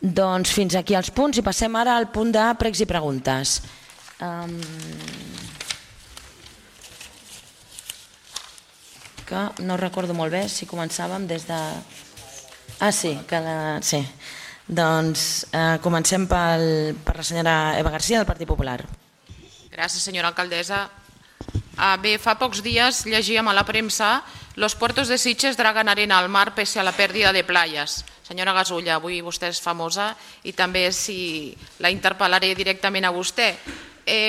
Doncs fins aquí els punts i passem ara al punt de pregs i preguntes. Que no recordo molt bé si començàvem des de... Sí. Doncs comencem per la senyora Eva García del Partit Popular. Gràcies, senyora alcaldessa. Bé, fa pocs dies llegíem a la premsa: los puertos de Sitges dragan arena al mar pese a la pérdida de playas. Senyora Gasulla, avui vostè és famosa i també la interpel·laré directament a vostè.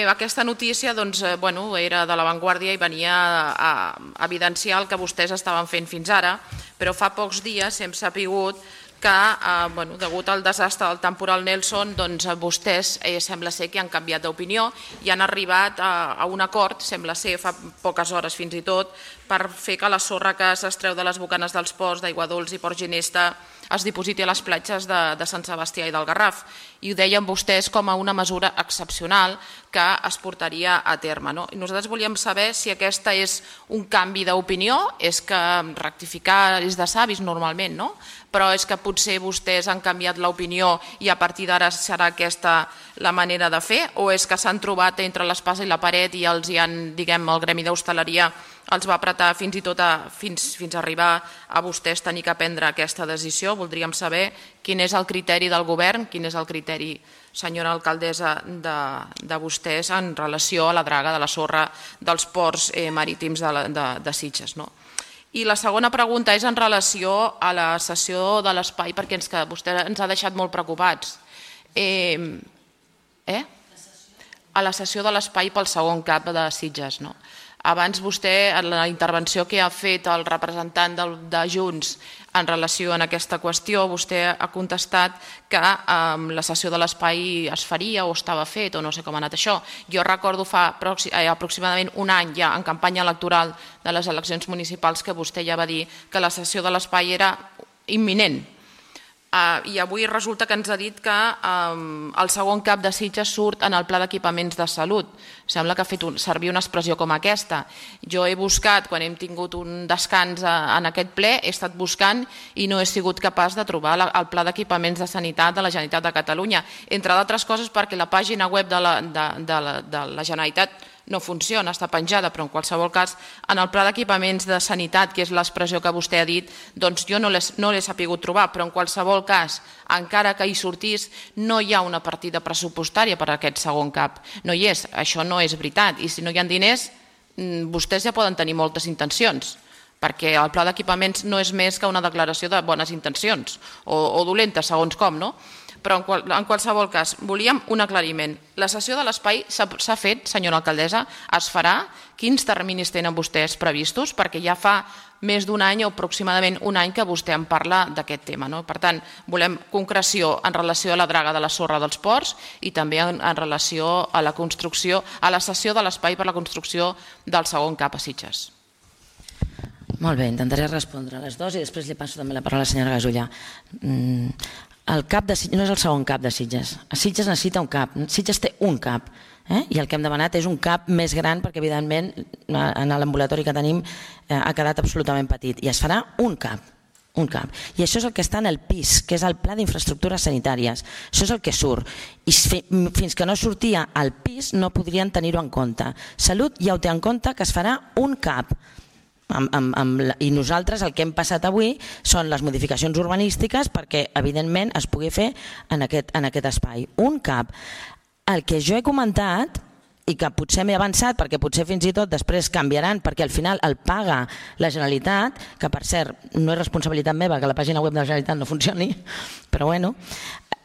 Aquesta notícia era de l'avantguàrdia i venia a evidenciar el que vostès estaven fent fins ara, però fa pocs dies hem sabut que, degut al desastre del temporal Nelson, vostès sembla ser que han canviat d'opinió i han arribat a un acord, sembla ser fa poques hores fins i tot, per fer que la sorra que s'extreu de les bocanes dels ports d'Aiguadols i Port Ginesta es dipositi a les platges de Sant Sebastià i del Garraf. I ho deien vostès com a una mesura excepcional que es portaria a terme. I nosaltres volíem saber si aquesta és un canvi d'opinió, és que rectificar és de savis normalment, però és que potser vostès han canviat l'opinió i a partir d'ara serà aquesta la manera de fer, o és que s'han trobat entre l'espasa i la paret i els hi han, el gremi d'hostaleria els va apretar fins i tot fins a arribar a vostès tenir que prendre aquesta decisió. Voldríem saber quin és el criteri del govern, quin és el criteri, senyora alcaldessa, de vostès en relació a la draga de la sorra dels ports marítims de Sitges. I la segona pregunta és en relació a la cessió de l'espai, perquè vostè ens ha deixat molt preocupats. A la cessió de l'espai pel segon CAP de Sitges. Abans vostè, en la intervenció que ha fet el representant de Junts en relació a aquesta qüestió, vostè ha contestat que la cessió de l'espai es faria o estava fet o no sé com ha anat això. Jo recordo fa aproximadament un any ja en campanya electoral de les eleccions municipals que vostè ja va dir que la cessió de l'espai era imminent. I avui resulta que ens ha dit que el segon CAP de Sitges surt en el pla d'equipaments de salut. Sembla que ha fet servir una expressió com aquesta. Jo he buscat, quan hem tingut un descans en aquest ple, he estat buscant i no he sigut capaç de trobar el pla d'equipaments de sanitat de la Generalitat de Catalunya. Entre d'altres coses perquè la pàgina web de la Generalitat no funciona, està penjada, però en qualsevol cas, en el pla d'equipaments de sanitat, que és l'expressió que vostè ha dit, doncs jo no l'he sabut trobar, però en qualsevol cas, encara que hi sortís, no hi ha una partida pressupostària per a aquest segon CAP. No hi és, això no és veritat, i si no hi ha diners, vostès ja poden tenir moltes intencions, perquè el pla d'equipaments no és més que una declaració de bones intencions, o dolentes, segons com, no? Però en qualsevol cas, volíem un aclariment. La cessió de l'espai s'ha fet, senyora alcaldessa, es farà? Quins terminis tenen vostès previstos? Perquè ja fa més d'un any o aproximadament un any que vostè en parla d'aquest tema. Per tant, volem concreció en relació a la draga de la sorra dels ports i també en relació a la construcció, a la cessió de l'espai per la construcció del segon CAP a Sitges. Molt bé, intentaré respondre a les dues i després li passo també la paraula a la senyora Gasulla. El CAP de Sitges no és el segon CAP de Sitges. Sitges necessita un CAP. Sitges té un CAP. I el que hem demanat és un CAP més gran perquè, evidentment, en l'ambulatori que tenim ha quedat absolutament petit. I es farà un CAP. I això és el que està en el PIS, que és el Pla d'Infraestructures Sanitàries. Això és el que surt. I fins que no sortia al PIS no podrien tenir-ho en compte. Salut ja ho té en compte que es farà un CAP. I nosaltres el que hem passat avui són les modificacions urbanístiques perquè evidentment es pugui fer en aquest espai, un CAP. El que jo he comentat i que potser m'he avançat perquè potser fins i tot després canviaran perquè al final el paga la Generalitat, que per cert no és responsabilitat meva que la pàgina web de la Generalitat no funcioni, però bueno,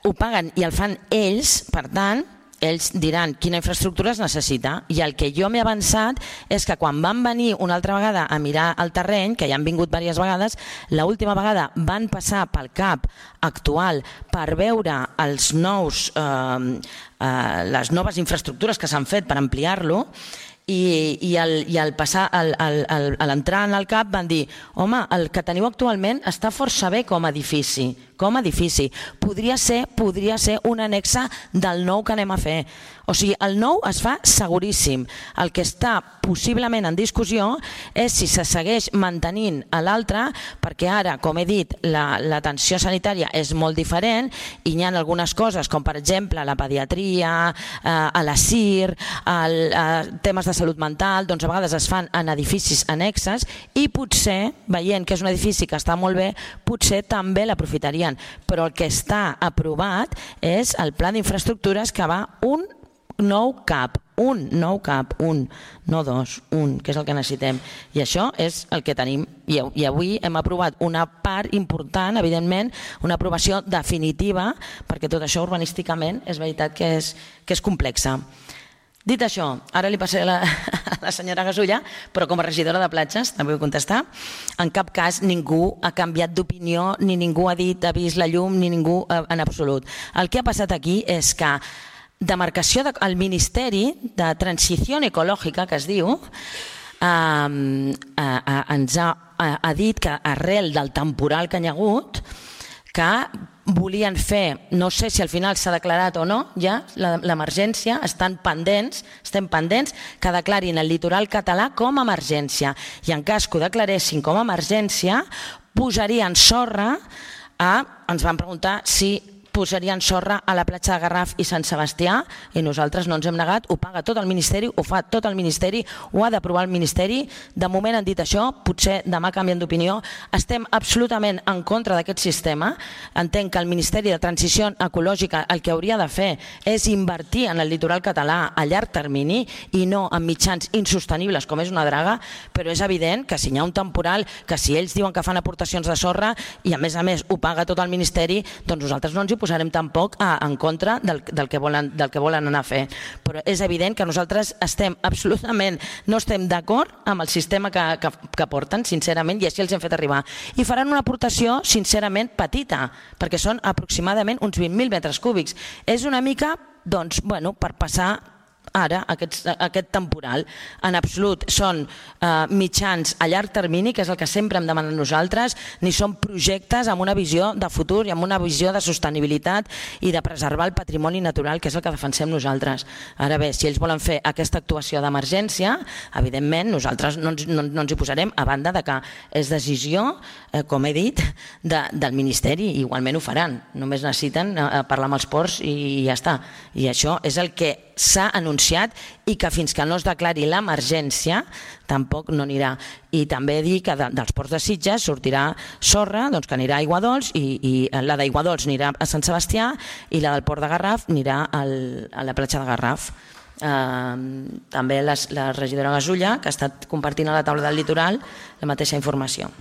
ho paguen i el fan ells, per tant ells diran quina infraestructura es necessita i el que jo m'he avançat és que quan van venir una altra vegada a mirar el terreny, que ja han vingut diverses vegades, l'última vegada van passar pel CAP actual per veure les noves infraestructures que s'han fet per ampliar-lo i al l'entrar en el CAP van dir home, el que teniu actualment està força bé com a edifici, com a edifici. Podria ser un annexe del nou que anem a fer. O sigui, el nou es fa seguríssim. El que està possiblement en discussió és si se segueix mantenint a l'altre, perquè ara, com he dit, l'atenció sanitària és molt diferent i hi ha algunes coses, com per exemple la pediatria, a la CIR, temes de salut mental, doncs a vegades es fan en edificis annexes i potser, veient que és un edifici que està molt bé, potser també l'aprofitarien. Però el que està aprovat és el pla d'infraestructures que va un nou CAP, no dos, que és el que necessitem. I això és el que tenim. I avui hem aprovat una part important, evidentment, una aprovació definitiva, perquè tot això urbanísticament és veritat que és complexa. Dit això, ara li passaré a la senyora Gasulla, però com a regidora de platges, també vull contestar, en cap cas ningú ha canviat d'opinió, ni ningú ha vist la llum, ni ningú en absolut. El que ha passat aquí és que demarcació del Ministeri de Transició Ecològica, que es diu, ens ha dit que arrel del temporal que hi ha hagut, que volien fer, no sé si al final s'ha declarat o no, ja l'emergència, estem pendents que declarin el litoral català com a emergència. I en cas que ho declaressin com a emergència, posarien sorra ens van preguntar si posarien sorra a la platja de Garraf i Sant Sebastià i nosaltres no ens hem negat, ho paga tot el Ministeri, ho fa tot el Ministeri, ho ha d'aprovar el Ministeri. De moment han dit això, potser demà canvien d'opinió. Estem absolutament en contra d'aquest sistema. Entenc que el Ministeri de Transició Ecològica el que hauria de fer és invertir en el litoral català a llarg termini i no en mitjans insostenibles com és una draga, però és evident que si hi ha un temporal, que si ells diuen que fan aportacions de sorra i a més ho paga tot el Ministeri, doncs nosaltres no ens hi posarem tampoc en contra del que volen anar a fer. Però és evident que nosaltres no estem d'acord amb el sistema que porten, sincerament, i així els hem fet arribar. I faran una aportació, sincerament, petita, perquè són aproximadament uns 20.000 metres cúbics. És una mica, doncs, per passar ara aquest temporal. En absolut són mitjans a llarg termini, que és el que sempre hem demanat nosaltres, ni són projectes amb una visió de futur i amb una visió de sostenibilitat i de preservar el patrimoni natural, que és el que defensem nosaltres. Ara bé, si ells volen fer aquesta actuació d'emergència, evidentment nosaltres no ens hi posarem, a banda de que és decisió, com he dit, del Ministeri, i igualment ho faran. Només necessiten parlar amb els ports i ja està. I això és el que s'ha anunciat i que fins que no es declari l'emergència tampoc no anirà. I també dir que dels ports de Sitges sortirà sorra, que anirà a Aiguadols, i la d'Aiguadols anirà a Sant Sebastià i la del port de Garraf anirà a la platja de Garraf. També la regidora Gasulla, que ha estat compartint a la taula del litoral la mateixa informació.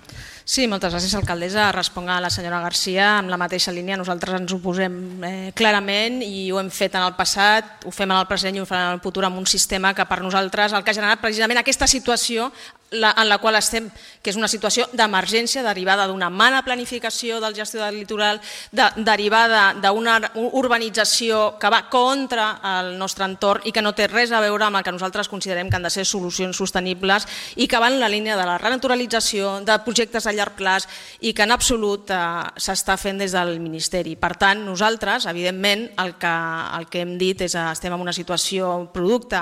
Sí, moltes gràcies, alcaldessa. Responc a la senyora Garcia amb la mateixa línia. Nosaltres ens oposem clarament i ho hem fet en el passat, ho fem en el present i ho farem en el futur amb un sistema que per nosaltres el que ha generat precisament aquesta situació en la qual estem, que és una situació d'emergència derivada d'una mala planificació del gestió del litoral, derivada d'una urbanització que va contra el nostre entorn i que no té res a veure amb el que nosaltres considerem que han de ser solucions sostenibles i que van en la línia de la renaturalització, de projectes a llarg plaç i que en absolut s'està fent des del Ministeri. Per tant, nosaltres, evidentment, el que hem dit és que estem en una situació producte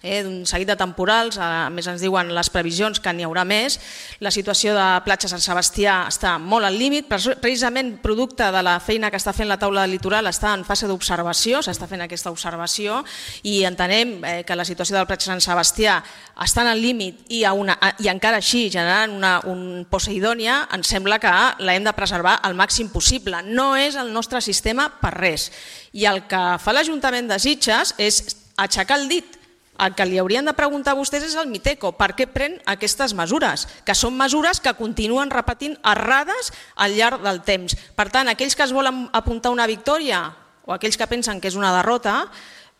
d'un seguit de temporals, a més ens diuen les previsions que n'hi haurà més. La situació de platja Sant Sebastià està molt al límit, precisament producte de la feina que està fent la taula del litoral, està en fase d'observació, s'està fent aquesta observació i entenem que la situació del platja Sant Sebastià està al límit i encara així generant un Poseidònia, ens sembla que l'hem de preservar al màxim possible. No és el nostre sistema per res. I el que fa l'Ajuntament de Sitges és aixecar el dit. El que li haurien de preguntar a vostès és al Miteco per què pren aquestes mesures, que són mesures que continuen repetint errades al llarg del temps. Per tant, aquells que es volen apuntar una victòria o aquells que pensen que és una derrota,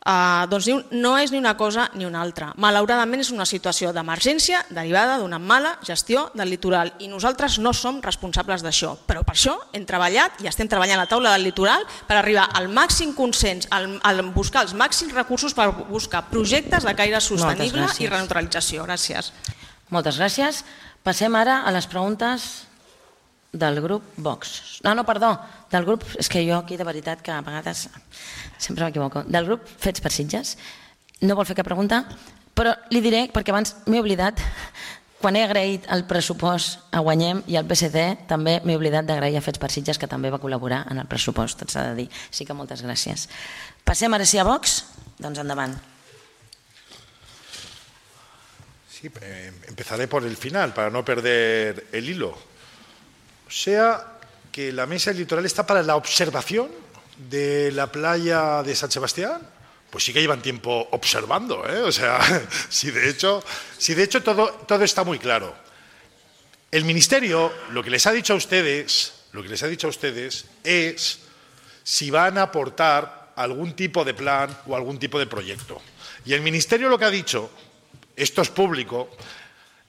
doncs no és ni una cosa ni una altra. Malauradament és una situació d'emergència derivada d'una mala gestió del litoral i nosaltres no som responsables d'això, però per això hem treballat i estem treballant a la taula del litoral per arribar al màxim consens, a buscar els màxims recursos per buscar projectes de caire sostenible i renaturalització. Gràcies. Moltes gràcies. Passem ara a les preguntes del grup Vox. No, perdó, del grup, és que jo aquí de veritat que a vegades sempre m'equivoco, del grup Fets per Sitges. No vol fer cap pregunta, però li diré, perquè abans m'he oblidat, quan he agraït el pressupost a Guanyem i al PSC, també m'he oblidat d'agrair a Fets per Sitges, que també va col·laborar en el pressupost, tot s'ha de dir. Sí que moltes gràcies. Passem ara sí a Vox? Doncs endavant. Sí, empezaré por el final, para no perder el hilo. O sea, que la mesa del litoral está para la observación de la playa de San Sebastián. Pues sí que llevan tiempo observando, ¿eh? O sea, si de hecho todo está muy claro. El Ministerio lo que les ha dicho a ustedes es si van a aportar algún tipo de plan o algún tipo de proyecto. Y el Ministerio lo que ha dicho, esto es público,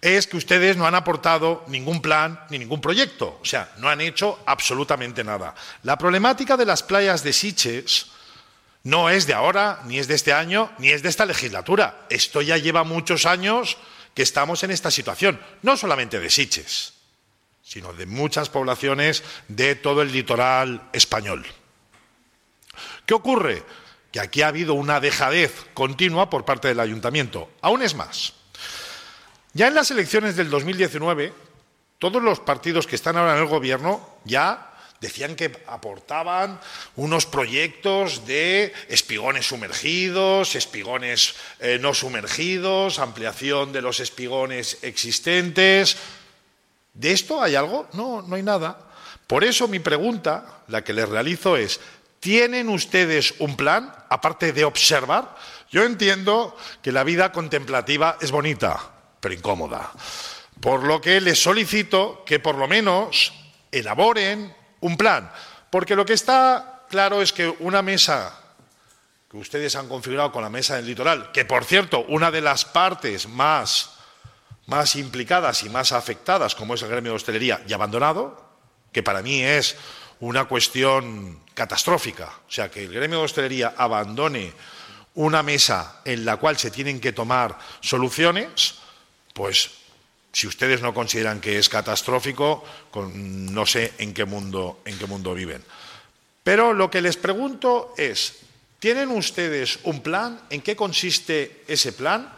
es que ustedes no han aportado ningún plan ni ningún proyecto. O sea, no han hecho absolutamente nada. La problemática de las playas de Sitges no es de ahora, ni es de este año, ni es de esta legislatura. Esto ya lleva muchos años que estamos en esta situación. No solamente de Sitges, sino de muchas poblaciones de todo el litoral español. ¿Qué ocurre? Que aquí ha habido una dejadez continua por parte del Ayuntamiento. Aún es más. Ya en las elecciones del 2019, todos los partidos que están ahora en el gobierno ya decían que aportaban unos proyectos de espigones sumergidos, espigones no sumergidos, ampliación de los espigones existentes. ¿De esto hay algo? No, no hay nada. Por eso mi pregunta, la que les realizo es, ¿tienen ustedes un plan, aparte de observar? Yo entiendo que la vida contemplativa es bonita, pero incómoda. Por lo que les solicito que por lo menos elaboren un plan. Porque lo que está claro es que una mesa que ustedes han configurado con la mesa del litoral, que por cierto, una de las partes más implicadas y más afectadas, como es el gremio de hostelería, y abandonado, que para mí es una cuestión catastrófica. O sea, que el gremio de hostelería abandone una mesa en la cual se tienen que tomar soluciones, pues si ustedes no consideran que es catastrófico, no sé en qué mundo viven. Pero lo que les pregunto es, ¿tienen ustedes un plan? ¿En qué consiste ese plan?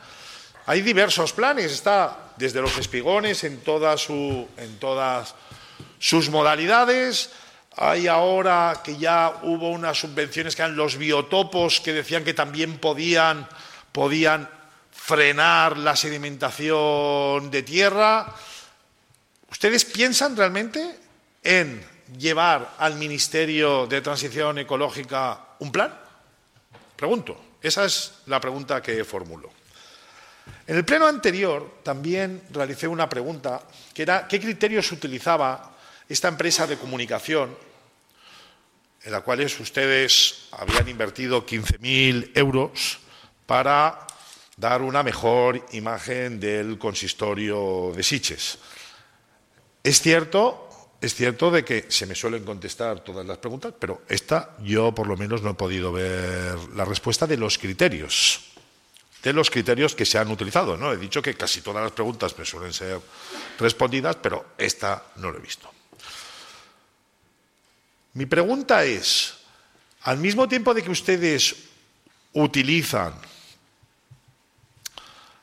Hay diversos planes, está desde los espigones en todas sus modalidades. Hay ahora que ya hubo unas subvenciones que eran los biotopos, que decían que también podían frenar la sedimentación de tierra. ¿Ustedes piensan realmente en llevar al Ministerio de Transición Ecológica un plan? Pregunto. Esa es la pregunta que formulo. En el pleno anterior también realicé una pregunta que era ¿qué criterios utilizaba esta empresa de comunicación en la cual ustedes habían invertido 15.000 euros para dar una mejor imagen del consistorio de Sitges? Es cierto de que se me suelen contestar todas las preguntas, pero esta yo por lo menos no he podido ver la respuesta de los criterios que se han utilizado, ¿no? He dicho que casi todas las preguntas me suelen ser respondidas, pero esta no lo he visto. Mi pregunta es, al mismo tiempo de que ustedes utilizan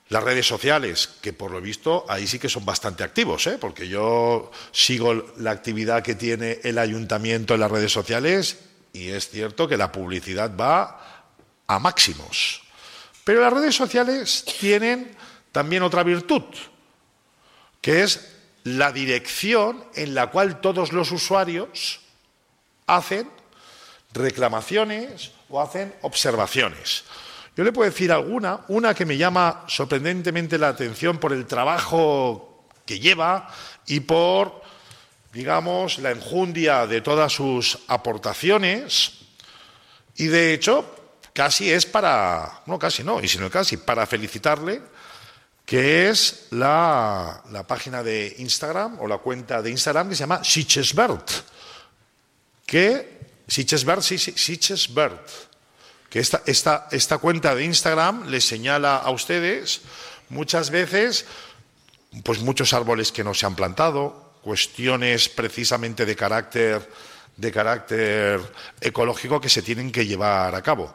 las redes sociales, que por lo visto ahí sí que son bastante activos, porque yo sigo la actividad que tiene el ayuntamiento en las redes sociales y es cierto que la publicidad va a máximos. Pero las redes sociales tienen también otra virtud, que es la dirección en la cual todos los usuarios hacen reclamaciones o hacen observaciones. Yo le puedo decir una que me llama sorprendentemente la atención por el trabajo que lleva y por, digamos, la enjundia de todas sus aportaciones y de hecho casi es para, no casi no, y sino casi para felicitarle, que es la página de Instagram o la cuenta de Instagram que se llama Sitgesbert, que Sitgesbert, que esta cuenta de Instagram les señala a ustedes muchas veces pues muchos árboles que no se han plantado, cuestiones precisamente de carácter ecológico que se tienen que llevar a cabo.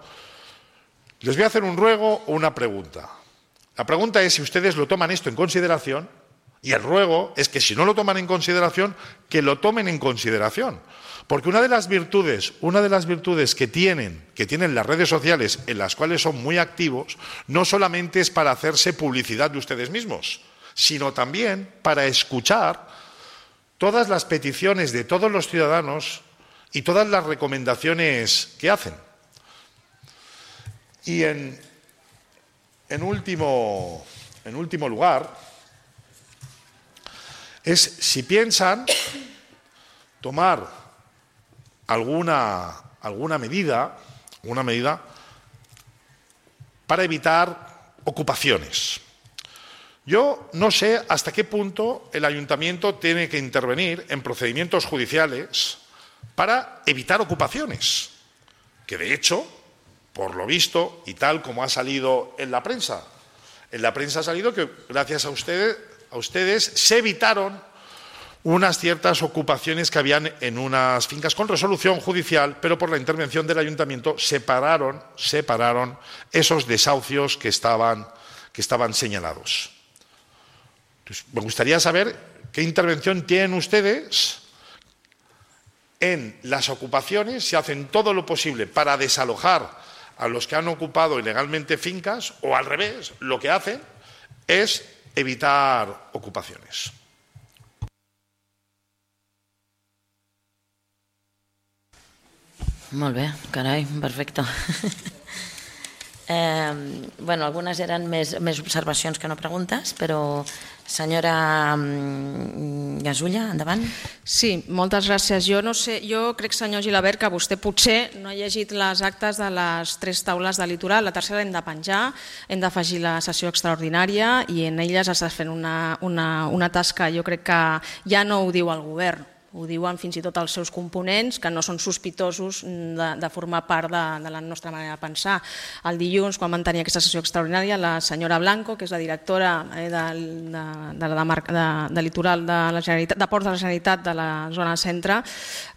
Les voy a hacer un ruego o una pregunta. La pregunta es si ustedes lo toman esto en consideración, y el ruego es que si no lo toman en consideración, que lo tomen en consideración. Porque una de las virtudes que tienen las redes sociales, en las cuales son muy activos, no solamente es para hacerse publicidad de ustedes mismos, sino también para escuchar todas las peticiones de todos los ciudadanos y todas las recomendaciones que hacen. Y en último lugar, es si piensan tomar alguna medida para evitar ocupaciones. Yo no sé hasta qué punto el ayuntamiento tiene que intervenir en procedimientos judiciales para evitar ocupaciones, que de hecho, por lo visto, y tal como ha salido en la prensa ha salido que gracias a ustedes se evitaron unas ciertas ocupaciones que habían en unas fincas con resolución judicial, pero por la intervención del ayuntamiento separaron esos desahucios que estaban señalados. Entonces, me gustaría saber qué intervención tienen ustedes en las ocupaciones, si hacen todo lo posible para desalojar a los que han ocupado ilegalmente fincas, o al revés, lo que hacen es evitar ocupaciones. Molt bé, carai, perfecte. Bueno, algunes eren més observacions que no preguntes, però senyora Gasulla, endavant. Sí, moltes gràcies. Jo crec, senyor Gilabert, que vostè potser no ha llegit les actes de les 3 taules de litoral. La tercera l'hem de penjar, hem d'afegir la sessió extraordinària i en elles s'està fent una tasca, jo crec que ja no ho diu el govern, ho diuen fins i tot els seus components, que no són sospitosos de formar part de la nostra manera de pensar. El dilluns, quan van tenir aquesta sessió extraordinària, la senyora Blanco, que és la directora de litoral de Ports de la Generalitat de la zona centre,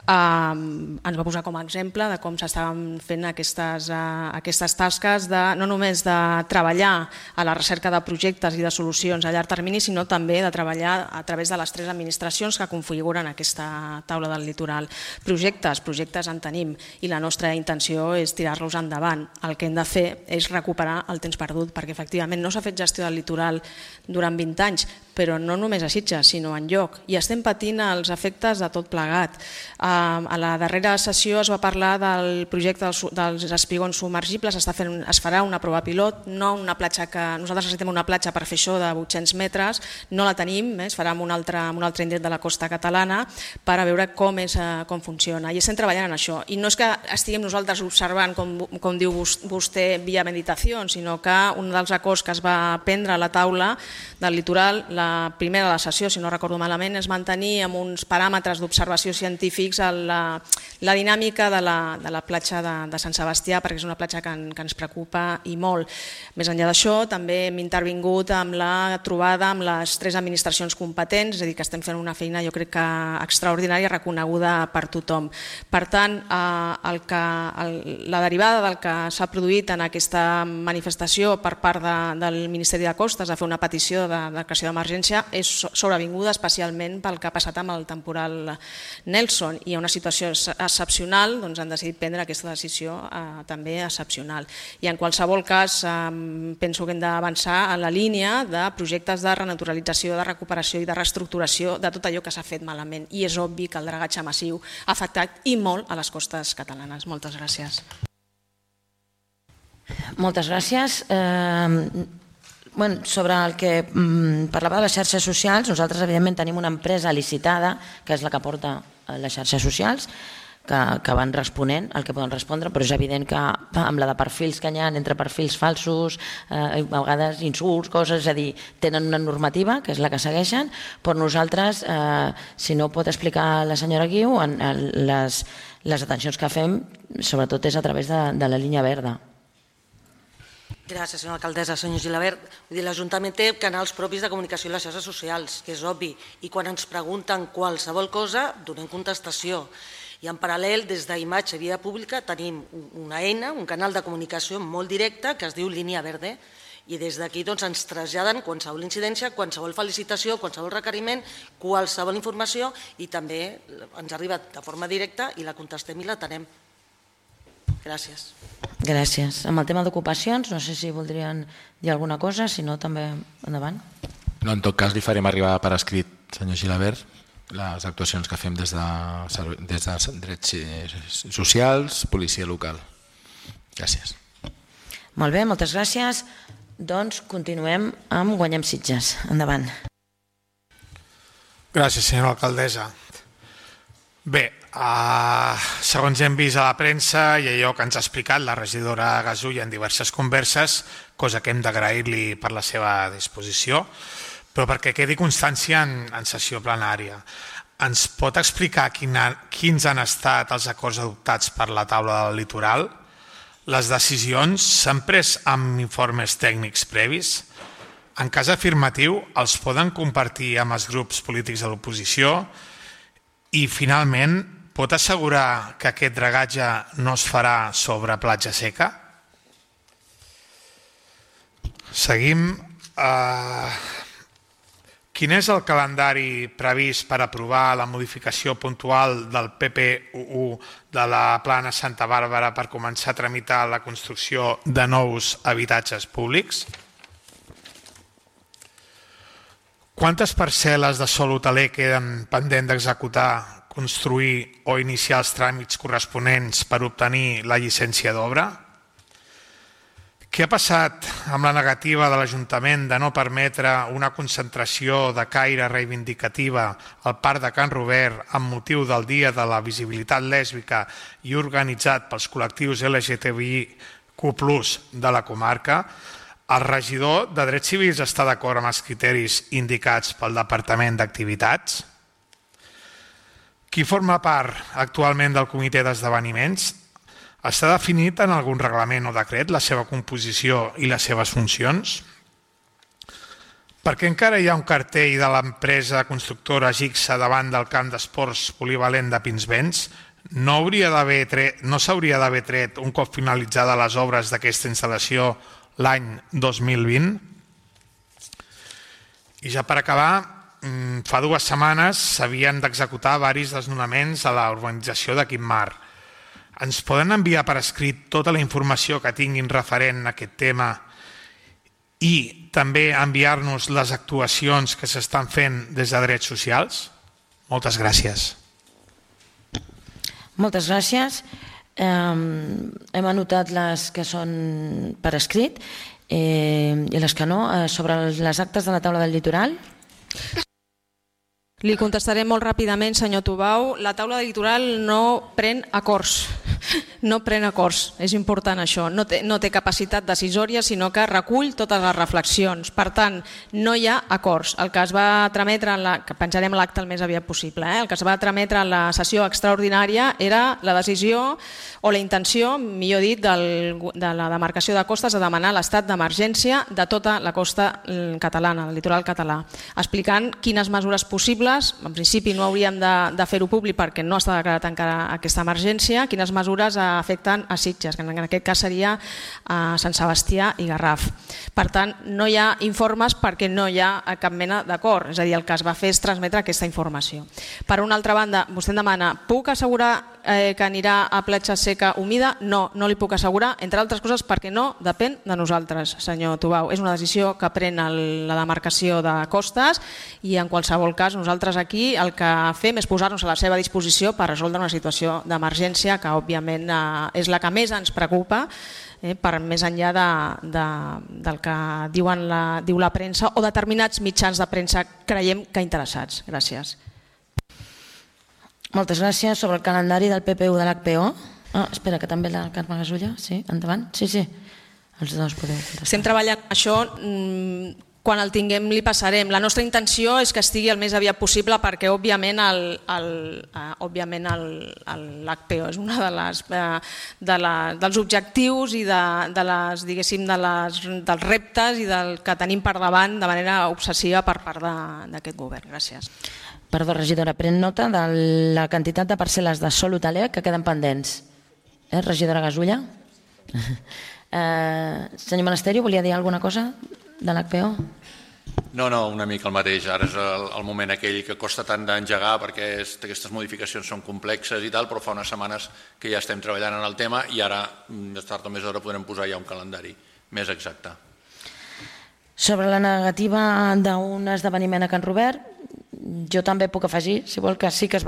ens va posar com a exemple de com s'estaven fent aquestes tasques, no només de treballar a la recerca de projectes i de solucions a llarg termini, sinó també de treballar a través de les 3 administracions que configuren aquesta taula del litoral. Projectes en tenim i la nostra intenció és tirar-los endavant. El que hem de fer és recuperar el temps perdut, perquè efectivament no s'ha fet gestió del litoral durant 20 anys, però no només a Sitges, sinó enlloc. I estem patint els efectes de tot plegat. A la darrera sessió es va parlar del projecte dels espigons submergibles, es farà una prova pilot, no una platja que nosaltres necessitem una platja per fer això de 800 metres, no la tenim, es farà en un altre indret de la costa catalana per a veure com funciona. I estem treballant en això. I no és que estiguem nosaltres observant, com diu vostè, via meditació, sinó que un dels acords que es va prendre a la taula del litoral, la primera de la sessió, si no recordo malament, és mantenir amb uns paràmetres d'observació científics la dinàmica de la platja de Sant Sebastià, perquè és una platja que ens preocupa i molt. Més enllà d'això, també hem intervingut amb la trobada amb les 3 administracions competents, és a dir, que estem fent una feina, jo crec que extraordinària, reconeguda per tothom. Per tant, la derivada del que s'ha produït en aquesta manifestació per part del Ministeri de Costes de fer una petició de declaració d'emergència és sobrevinguda especialment pel que ha passat amb el temporal Nelson, i a una situació excepcional han decidit prendre aquesta decisió també excepcional. I en qualsevol cas penso que hem d'avançar en la línia de projectes de renaturalització, de recuperació i de reestructuració de tot allò que s'ha fet malament, i és obvi que el dragatge massiu ha afectat i molt a les costes catalanes. Moltes gràcies. Moltes gràcies. Sobre el que parlava de les xarxes socials, nosaltres evidentment tenim una empresa licitada, que és la que porta les xarxes socials, que van responent el que poden respondre, però és evident que amb la de perfils que hi ha entre perfils falsos, a vegades insults, coses, és a dir, tenen una normativa, que és la que segueixen, però nosaltres, si no pot explicar la senyora Guiu, les atencions que fem, sobretot és a través de la línia verda. Gràcies, senyora alcaldessa. Senyor Gilabert, l'Ajuntament té canals propis de comunicació a les xarxes socials, que és obvi, i quan ens pregunten qualsevol cosa, donem contestació. I en paral·lel, des d'Imatge Via Pública, tenim una eina, un canal de comunicació molt directe que es diu Línia Verde, i des d'aquí ens traslladen qualsevol incidència, qualsevol felicitació, qualsevol requeriment, qualsevol informació, i també ens arriba de forma directa i la contestem i l'atenem. Gràcies. Gràcies. Amb el tema d'ocupacions, no sé si voldrien dir alguna cosa, si no, també endavant. No, en tot cas, li farem arribar per escrit, senyor Gilabert, les actuacions que fem des de drets socials, policia local. Gràcies. Molt bé, moltes gràcies. Doncs continuem amb Guanyem Sitges. Endavant. Gràcies, senyora alcaldessa. Bé, segons hem vist a la premsa i allò que ens ha explicat la regidora Gasulla en diverses converses, cosa que hem d'agrair-li per la seva disposició, però perquè quedi constància en sessió plenària. Ens pot explicar quins han estat els acords adoptats per la taula del litoral? Les decisions s'han pres amb informes tècnics previs? En cas afirmatiu, els poden compartir amb els grups polítics de l'oposició? I, finalment, pot assegurar que aquest dragatge no es farà sobre platja seca? Seguim. Quin és el calendari previst per aprovar la modificació puntual del PP11 de la Plana Santa Bàrbara per començar a tramitar la construcció de nous habitatges públics? Quantes parcel·les de sòl hoteler queden pendent d'executar, construir o iniciar els tràmits corresponents per obtenir la llicència d'obra? Què ha passat amb la negativa de l'Ajuntament de no permetre una concentració de caire reivindicativa al Parc de Can Robert amb motiu del Dia de la Visibilitat Lèsbica i organitzat pels col·lectius LGTBIQ+ de la comarca? El regidor de Drets Civils està d'acord amb els criteris indicats pel Departament d'Activitats? Qui forma part actualment del comitè d'esdeveniments? Està definit en algun reglament o decret la seva composició i les seves funcions? Perquè encara hi ha un cartell de l'empresa constructora Gixa davant del camp d'esports polivalent de Pinsbens? No s'hauria d'haver tret un cop finalitzada les obres d'aquesta instal·lació l'any 2020? I ja per acabar, fa 2 setmanes s'havien d'executar diversos desnonaments a la urbanització de Quimar. Ens poden enviar per escrit tota la informació que tinguin referent a aquest tema i també enviar-nos les actuacions que s'estan fent des de Drets Socials? Moltes gràcies. Moltes gràcies. Hem anotat les que són per escrit i les que no. Sobre les actes de la taula del litoral. Li contestaré molt ràpidament, senyor Tubau. La taula del litoral no pren acords. No pren acords, és important això. No té capacitat decisòria, sinó que recull totes les reflexions. Per tant, no hi ha acords. El que es va trametre, que penjarem l'acte el més aviat possible, el que es va trametre en la sessió extraordinària era la decisió o la intenció, millor dit, de la demarcació de costes de demanar l'estat d'emergència de tota la costa catalana, el litoral català, explicant quines mesures possibles, en principi no hauríem de fer-ho públic perquè no està declarat encara aquesta emergència, quines mesures afecten a Sitges, que en aquest cas seria a Sant Sebastià i Garraf. Per tant, no hi ha informes perquè no hi ha cap mena d'acord, és a dir, el que es va fer és transmetre aquesta informació. Per una altra banda, vostè em demana, puc assegurar que anirà a platja seca humida? No, no li puc assegurar, entre altres coses perquè no depèn de nosaltres, senyor Tubau. És una decisió que pren la demarcació de costes i en qualsevol cas nosaltres aquí el que fem és posar-nos a la seva disposició per resoldre una situació d'emergència que òbviament és la que més ens preocupa, per més enllà del que diu la premsa o determinats mitjans de premsa creiem que interessats. Gràcies. Moltes gràcies. Sobre el calendari del PPU de l'HPO. Espera, que també la Carme Gasulla. Sí, endavant. Sí. Els dos podeu contestar. Estem treballant això. Quan el tinguem li passarem. La nostra intenció és que estigui el més aviat possible perquè òbviament l'HPO és un dels objectius i dels reptes i del que tenim per davant de manera obsessiva per part d'aquest govern. Gràcies. Perdó, regidora, pren nota de la quantitat de parcel·les de sòl hoteler que queden pendents. Regidora Gasulla? Senyor Monasterio, volia dir alguna cosa de l'HPO? No, una mica el mateix. Ara és el moment aquell que costa tant d'engegar perquè aquestes modificacions són complexes i tal, però fa unes setmanes que ja estem treballant en el tema i ara, més tard o més d'hora, podrem posar ja un calendari més exacte. Sobre la negativa d'un esdeveniment a Can Robert, jo també puc afegir, si vol, que sí que ens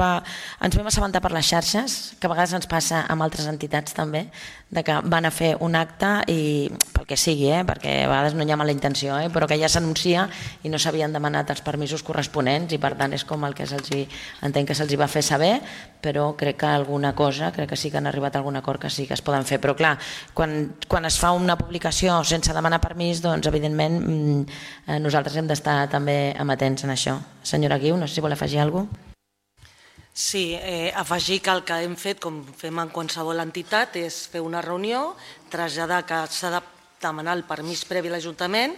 vam assabentar per les xarxes, que a vegades ens passa amb altres entitats també, de que van a fer un acte i pel que sigui, perquè a vegades no hi ha mala intenció, però que ja s'anuncia i no s'havien demanat els permisos corresponents i per tant és com el que entenc que se'ls va fer saber, però crec que sí que han arribat a algun acord que sí que es poden fer, però clar, quan es fa una publicació sense demanar permís, doncs evidentment nosaltres hem d'estar també amatents en això. Senyora Guiu, no sé si vol afegir alguna cosa. Sí, afegir que el que hem fet, com fem en qualsevol entitat, és fer una reunió, traslladar que s'ha de demanar el permís previ a l'Ajuntament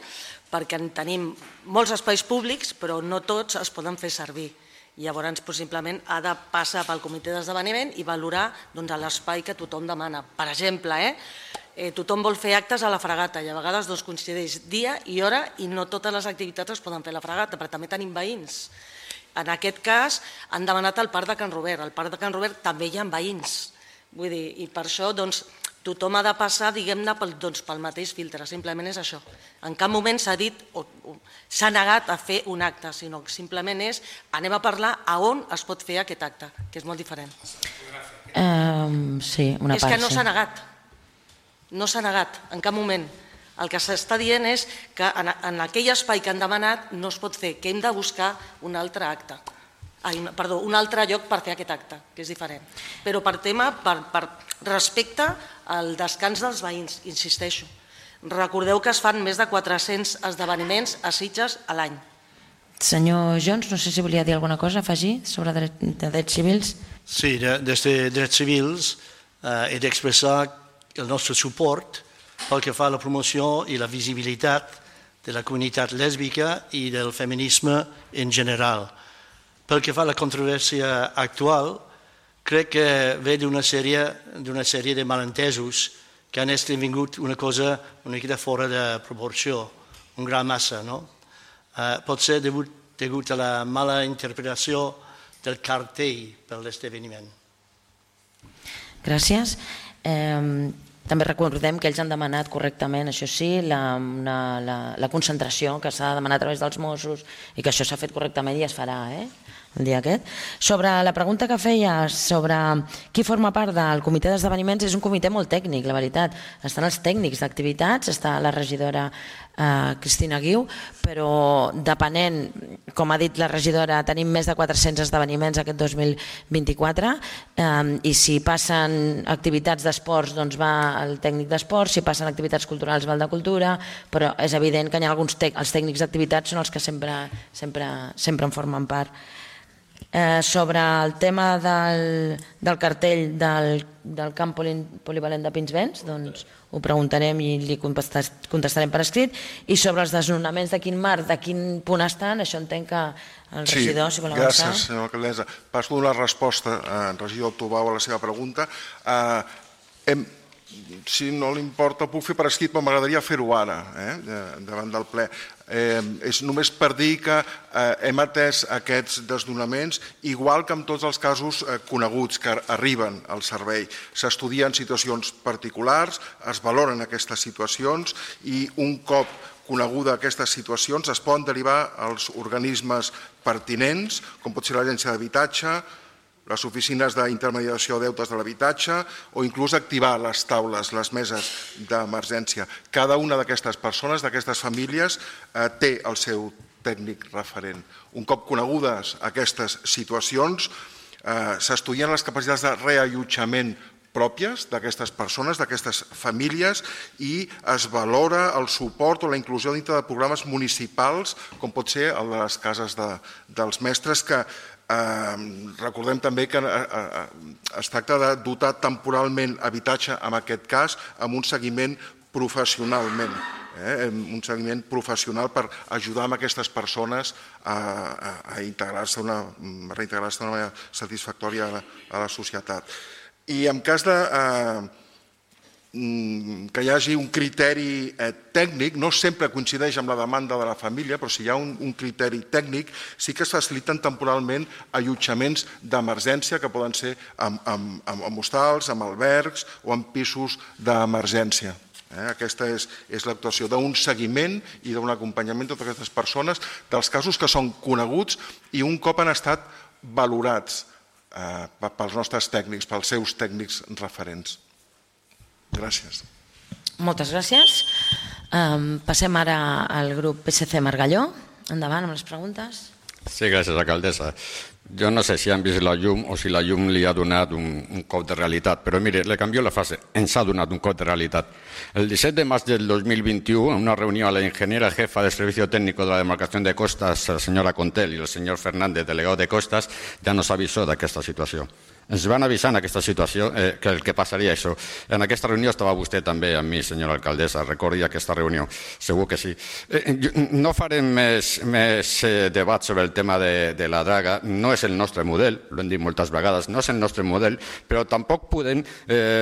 perquè tenim molts espais públics però no tots es poden fer servir. Llavors, simplement ha de passar pel comitè d'esdeveniment i valorar l'espai que tothom demana. Per exemple, tothom vol fer actes a la fregata i a vegades coincideix dia i hora i no totes les activitats es poden fer a la fregata, però també tenim veïns. En aquest cas han demanat el Parc de Can Robert. Al Parc de Can Robert també hi ha veïns. Vull dir, i per això tothom ha de passar, diguem-ne, pel mateix filtre. Simplement és això. En cap moment s'ha dit o s'ha negat a fer un acte, sinó que simplement és anem a parlar a on es pot fer aquest acte, que és molt diferent. Sí, una part. És que no s'ha negat. No s'ha negat, en cap moment. El que s'està dient és que en aquell espai que han demanat no es pot fer, que hem de buscar un altre acte. Un altre lloc per fer aquest acte, que és diferent. Però per respecte al descans dels veïns, insisteixo. Recordeu que es fan més de 400 esdeveniments a Sitges a l'any. Senyor Jones, no sé si volia dir alguna cosa, afegir, sobre drets civils. Sí, des de drets civils he d'expressar el nostre suport pel que fa a la promoció i la visibilitat de la comunitat lèsbica i del feminisme en general. Pel que fa a la controvèrsia actual, crec que ve d'una sèrie de malentesos que han esdevingut una cosa una mica fora de proporció, un gran massa, no? Pot ser degut a la mala interpretació del cartell per l'esdeveniment. Gràcies. També recordem que ells han demanat correctament, això sí, la concentració que s'ha de demanar a través dels Mossos i que això s'ha fet correctament i es farà, el dia aquest. Sobre la pregunta que feia sobre qui forma part del comitè d'esdeveniments, és un comitè molt tècnic, la veritat. Estan els tècnics d'activitats, està la regidora Cristina Guiu, però depenent, com ha dit la regidora, tenim més de 400 esdeveniments aquest 2024 i si passen activitats d'esports doncs va el tècnic d'esports, si passen activitats culturals va el de cultura, però és evident que hi ha alguns els tècnics d'activitats són els que sempre en formen part. Sobre el tema del cartell del camp polivalent de Pinsbens, doncs ho preguntarem i li contestarem per escrit. I sobre els desnonaments de quin marc, de quin punt estan, això entenc que el regidor, si vol avançar. Gràcies, senyora alcaldessa. Passo a donar resposta, regidor Tubau, a la seva pregunta. Si no li importa, ho puc fer per escrit, però m'agradaria fer-ho ara, davant del ple. És només per dir que hem atès aquests desnonaments igual que en tots els casos coneguts que arriben al servei. S'estudien situacions particulars, es valoren aquestes situacions i un cop coneguda aquestes situacions es poden derivar als organismes pertinents, com pot ser l'Agència d'Habitatge, les oficines d'intermediació de deutes de l'habitatge o inclús activar les taules, les meses d'emergència. Cada una d'aquestes persones, d'aquestes famílies, té el seu tècnic referent. Un cop conegudes aquestes situacions, s'estudien les capacitats de reallotjament pròpies d'aquestes persones, d'aquestes famílies, i es valora el suport o la inclusió dintre de programes municipals, com pot ser el de les cases dels mestres, que recordem també que es tracta de dotar temporalment habitatge, en aquest cas, amb un seguiment professionalment, un seguiment professional per ajudar a aquestes persones a reintegrar-se d'una manera satisfactòria a la societat. I en cas que hi hagi un criteri tècnic, no sempre coincideix amb la demanda de la família, però si hi ha un criteri tècnic, sí que es faciliten temporalment allotjaments d'emergència, que poden ser en hostals, en albergs o en pisos d'emergència. Aquesta és l'actuació d'un seguiment i d'un acompanyament de totes aquestes persones, dels casos que són coneguts i un cop han estat valorats pels nostres tècnics, pels seus tècnics referents. Gràcies. Moltes gràcies. Passem ara al grup PSC Margalló. Endavant amb les preguntes. Sí, gràcies, alcaldessa. Jo no sé si han vist la llum o si la llum li ha donat un cop de realitat, però mire, le canvio la frase, ens ha donat un cop de realitat. El 17 de març del 2021, en una reunió a la ingeniera jefa de Servicio Técnico de la Demarcació de Costas, la senyora Contel, i el senyor Fernández, delegado de Costas, ja nos avisó d'aquesta situació. Ens van avisar en aquesta situació que el que passaria això. En aquesta reunió estava vostè també amb mi, senyora alcaldessa, recordi aquesta reunió, segur que sí. No farem més debat sobre el tema de la draga, no és el nostre model, ho hem dit moltes vegades, no és el nostre model, però tampoc podem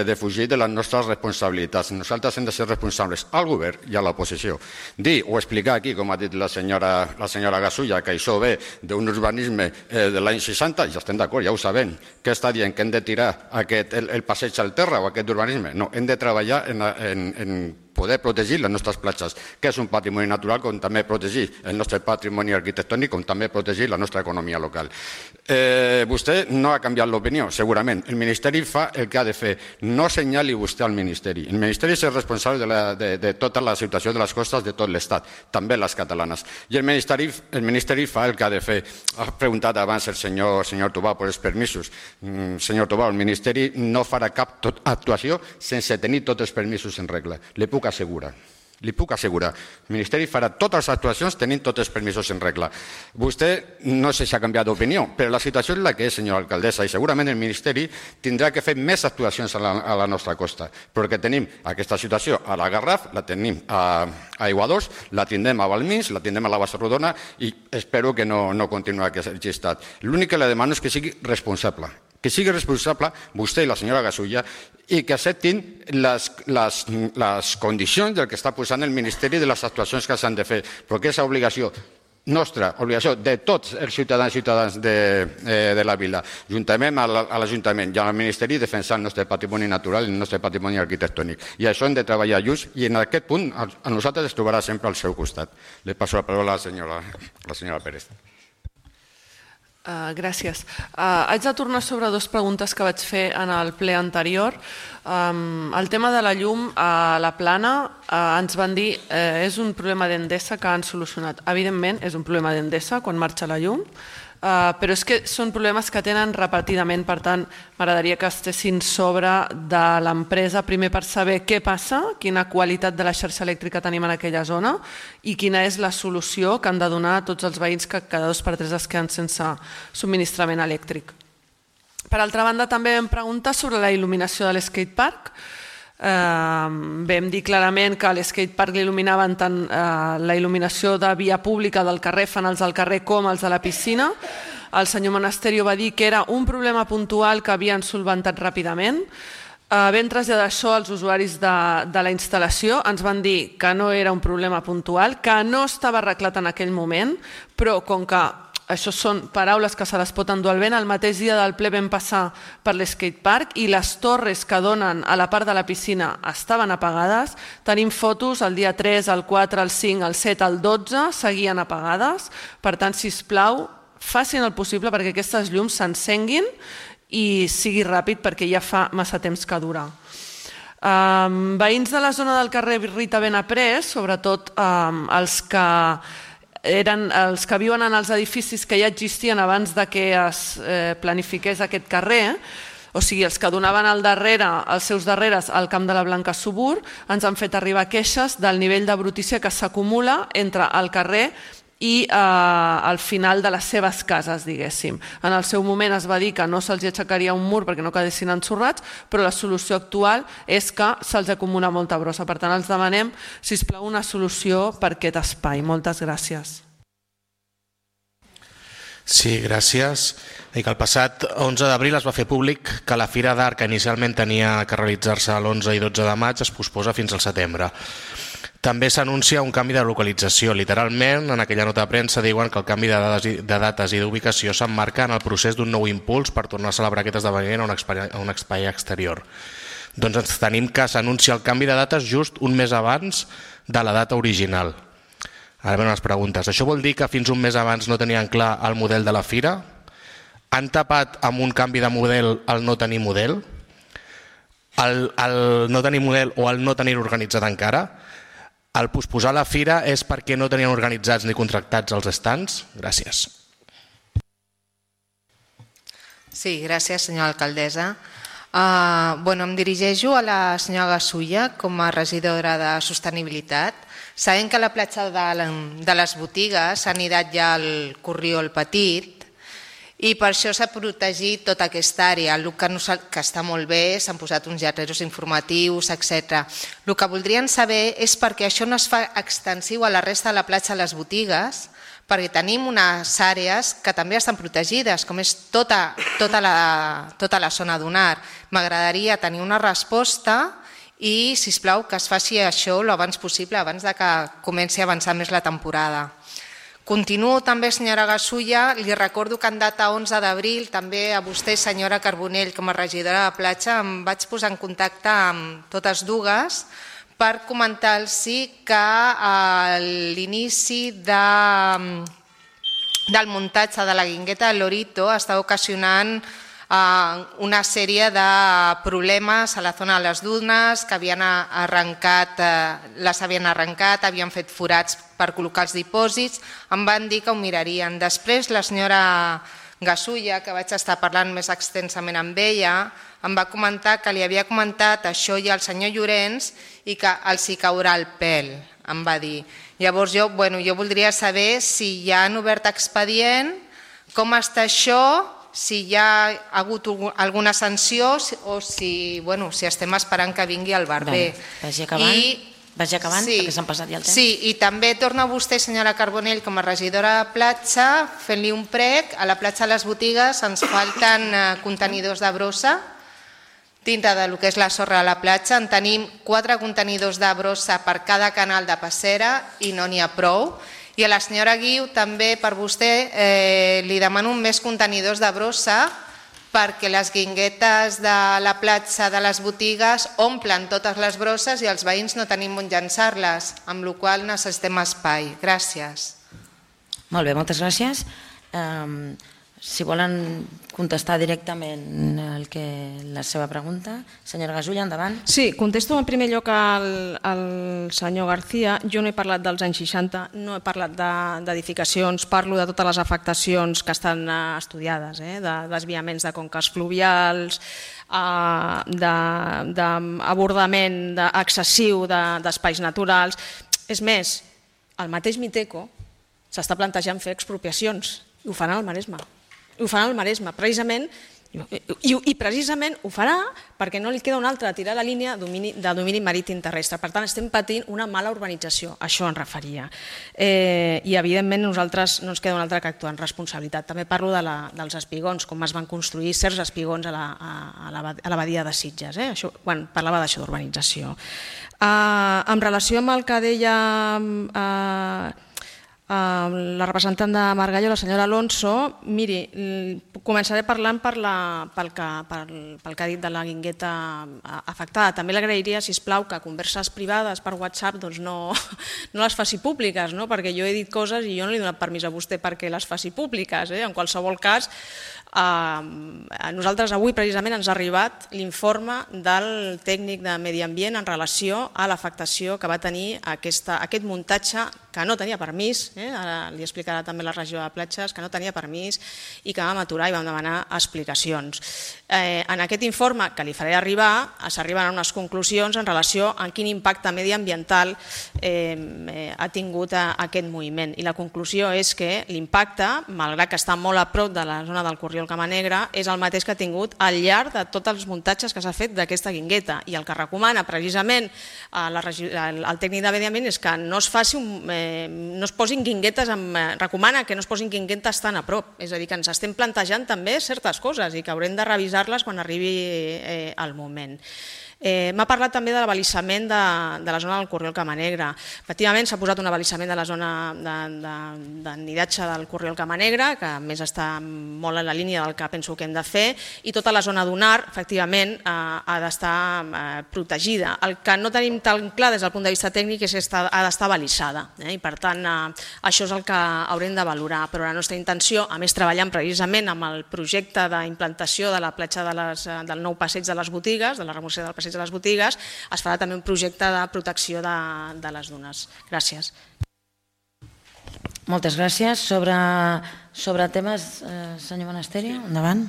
defugir de les nostres responsabilitats. Nosaltres hem de ser responsables al govern i a l'oposició. Dir o explicar aquí, com ha dit la senyora Gasulla, que això ve d'un urbanisme de l'any 60, ja estem d'acord, ja ho sabem, que està dient que hem de tirar el passeig al terra o aquest urbanisme. No, hem de treballar en poder protegir les nostres platges, que és un patrimoni natural, com també protegir el nostre patrimoni arquitectònic, com també protegir la nostra economia local. Vostè no ha canviat l'opinió, segurament. El Ministeri fa el que ha de fer. No senyali vostè al Ministeri. El Ministeri és el responsable de tota la situació de les costes de tot l'Estat, també les catalanes. I el Ministeri fa el que ha de fer. Ha preguntat abans el senyor Tobau per els permisos. Senyor Tobau, el Ministeri no farà cap actuació sense tenir tots els permisos en regla. Li puc assegurar. El Ministeri farà totes les actuacions tenint tots els permisos en regla. Vostè no sé si ha canviat d'opinió, però la situació és la que és, senyora alcaldessa, i segurament el Ministeri tindrà que fer més actuacions a la nostra costa, perquè tenim aquesta situació a la Garraf, la tenim a Aiguadols, la tindrem a Valmins, la tindrem a la Bassa Rodona i espero que no continuï aquest llistat. L'únic que li demano és que sigui responsable. Que sigui responsable vostè i la senyora Gasulla i que acceptin les condicions del que està posant el Ministeri de les actuacions que s'han de fer, perquè és obligació nostra, obligació de tots els ciutadans i ciutadans de la vila, juntament a l'Ajuntament i al Ministeri, defensar el nostre patrimoni natural i el nostre patrimoni arquitectònic. I això hem de treballar junts i en aquest punt a nosaltres es trobarà sempre al seu costat. Le passo la paraula a la senyora Pérez. Gràcies. Haig de tornar sobre dues preguntes que vaig fer en el ple anterior. El tema de la llum a la Plana ens van dir és un problema d'Endesa que han solucionat. Evidentment és un problema d'Endesa quan marxa la llum, però és que són problemes que tenen repetidament, per tant m'agradaria que estessin sobre de l'empresa primer per saber què passa, quina qualitat de la xarxa elèctrica tenim en aquella zona i quina és la solució que han de donar a tots els veïns que cada 2 per 3 es queden sense subministrament elèctric. Per altra banda, també vam preguntar sobre la il·luminació de l'skatepark. Vam dir clarament que a l'skatepark l'il·luminaven tant la il·luminació de via pública del carrer, fanals del carrer, com els de la piscina. El senyor Monasterio va dir que era un problema puntual que havien solventat ràpidament. Vam traslladar això als usuaris de la instal·lació, ens van dir que no era un problema puntual, que no estava arreglat en aquell moment, però com que això són paraules que se les pot endur al vent, el mateix dia del ple vam passar per l'skatepark i les torres que donen a la part de la piscina estaven apagades. Tenim fotos el dia 3, el 4, el 5, el 7, el 12, seguien apagades. Per tant, sisplau, facin el possible perquè aquestes llums s'encenguin i sigui ràpid perquè ja fa massa temps que dura. Veïns de la zona del carrer Rita Benaprés, sobretot els que viuen en els edificis que ja existien abans que es planifiqués aquest carrer, O sigui, els que donaven els seus darreres al Camp de la Blanca Subur ens han fet arribar queixes del nivell de brutícia que s'acumula entre el carrer i al final de les seves cases, diguéssim. En el seu moment es va dir que no se'ls aixecaria un mur perquè no quedessin ensorrats, però la solució actual és que se'ls acumula molta brossa. Per tant, els demanem, sisplau, una solució per aquest espai. Moltes gràcies. Sí, gràcies. El passat 11 d'abril es va fer públic que la Fira d'Art, que inicialment tenia que realitzar-se l'11 i 12 de maig, es posposa fins al setembre. També s'anuncia un canvi de localització. Literalment, en aquella nota de premsa diuen que el canvi de dates i d'ubicació s'emmarca en el procés d'un nou impuls per tornar a celebrar aquest esdeveniment a un espai exterior. Doncs ens tenim que s'anuncia el canvi de dates just un mes abans de la data original. Ara venen les preguntes. Això vol dir que fins un mes abans no tenien clar el model de la fira? Han tapat amb un canvi de model el no tenir model? El no tenir model o el no tenir organitzat encara? El posposar la fira és perquè no tenien organitzats ni contractats els stands? Gràcies. Sí, gràcies, senyora alcaldessa. Em dirigeixo a la senyora Gasulla com a regidora de Sostenibilitat. Sabem que a la platja de les botigues s'ha anidat ja el corriol petit i per això s'ha protegit tota aquesta àrea, el que està molt bé, s'han posat uns lletreros informatius, etc. El que voldrien saber és perquè això no es fa extensiu a la resta de la platja de les botigues, perquè tenim unes àrees que també estan protegides, com és tota la zona dunar. M'agradaria tenir una resposta i, sisplau, que es faci això l'abans possible, abans que comenci a avançar més la temporada. Continuo també, senyora Gasulla, li recordo que en data 11 d'abril, també a vostè, senyora Carbonell, com a regidora de platja, em vaig posar en contacte amb totes dues per comentar-los que a l'inici del muntatge de la guingueta de Lorito està ocasionant una sèrie de problemes a la zona de les dunes que les havien arrencat, havien fet forats per col·locar els dipòsits, em van dir que ho mirarien. Després la senyora Gasulla, que vaig estar parlant més extensament amb ella, em va comentar que li havia comentat això ja al senyor Llorenç i que els hi caurà el pèl, em va dir. Llavors jo voldria saber si ja han obert expedient, com està això, si hi ha hagut alguna sanció o si estem esperant que vingui el barber. Vagi acabant, perquè s'han passat ja el temps. Sí, i també torna vostè, senyora Carbonell, com a regidora de platja, fent-li un prec. A la platja de les botigues ens falten contenidors de brossa dintre del que és la sorra de la platja. En tenim 4 contenidors de brossa per cada canal de passera i no n'hi ha prou. I a la senyora Guiu, també per vostè, li demano més contenidors de brossa perquè les guinguetes de la platja de les botigues omplen totes les brosses i els veïns no tenim on llançar-les, amb la qual cosa necessitem espai. Gràcies. Molt bé, moltes gràcies. Si volen contestar directament la seva pregunta. Senyora Gasulla, endavant. Sí, contesto en primer lloc al senyor García. Jo no he parlat dels anys 60, no he parlat d'edificacions, parlo de totes les afectacions que estan estudiades, de desviaments de conques fluvials, d'abordament excessiu d'espais naturals. És més, el mateix Miteco s'està plantejant fer expropiacions i ho faran al Maresme. Ho farà al Maresme, precisament, i precisament ho farà perquè no li queda una altra, tirar la línia de domini marítim terrestre. Per tant, estem patint una mala urbanització, això en referia. I, evidentment, nosaltres no ens queda una altra que actuar en responsabilitat. També parlo dels espigons, com es van construir certs espigons a la badia de Sitges, quan parlava d'això d'urbanització. En relació amb el que deia la representant de Margallo, la senyora Alonso, miri, començaré parlant pel que ha dit de la guingueta afectada. També l'agrairia, sisplau, que converses privades per WhatsApp no les faci públiques, perquè jo he dit coses i jo no li he donat permís a vostè perquè les faci públiques. En qualsevol cas, a nosaltres avui precisament ens ha arribat l'informe del tècnic de Medi Ambient en relació a l'afectació que va tenir aquest muntatge que no tenia permís, ara li explicarà també la regió de platges, que no tenia permís i que vam aturar i vam demanar explicacions. En aquest informe que li faré arribar s'arriben a unes conclusions en relació a quin impacte mediambiental ha tingut aquest moviment, i la conclusió és que l'impacte, malgrat que està molt a prop de la zona del Corriol Cama Negra, és el mateix que ha tingut al llarg de tots els muntatges que s'ha fet d'aquesta guingueta, i el que recomana precisament el tècnic de Medi Ambient és que no es posin guinguetes, recomana que no es posin guinguetes tan a prop, és a dir, que ens estem plantejant també certes coses i que haurem de revisar-les quan arribi el moment. M'ha parlat també de l'abalisament de la zona del Corriol Cama Negra. Efectivament, s'ha posat un abalisament de la zona de nidatge del Corriol Cama Negra, que a més està molt en la línia del que penso que hem de fer, i tota la zona dunar, efectivament, ha d'estar protegida. El que no tenim tan clar des del punt de vista tècnic és que ha d'estar abalisada, i per tant això és el que haurem de valorar, però la nostra intenció, a més treballant precisament amb el projecte d'implantació de la platja del nou passeig de les botigues, de la remoció del passeig de les botigues, es farà també un projecte de protecció de les dunes. Gràcies. Moltes gràcies. Sobre temes, senyor Monasterio, endavant.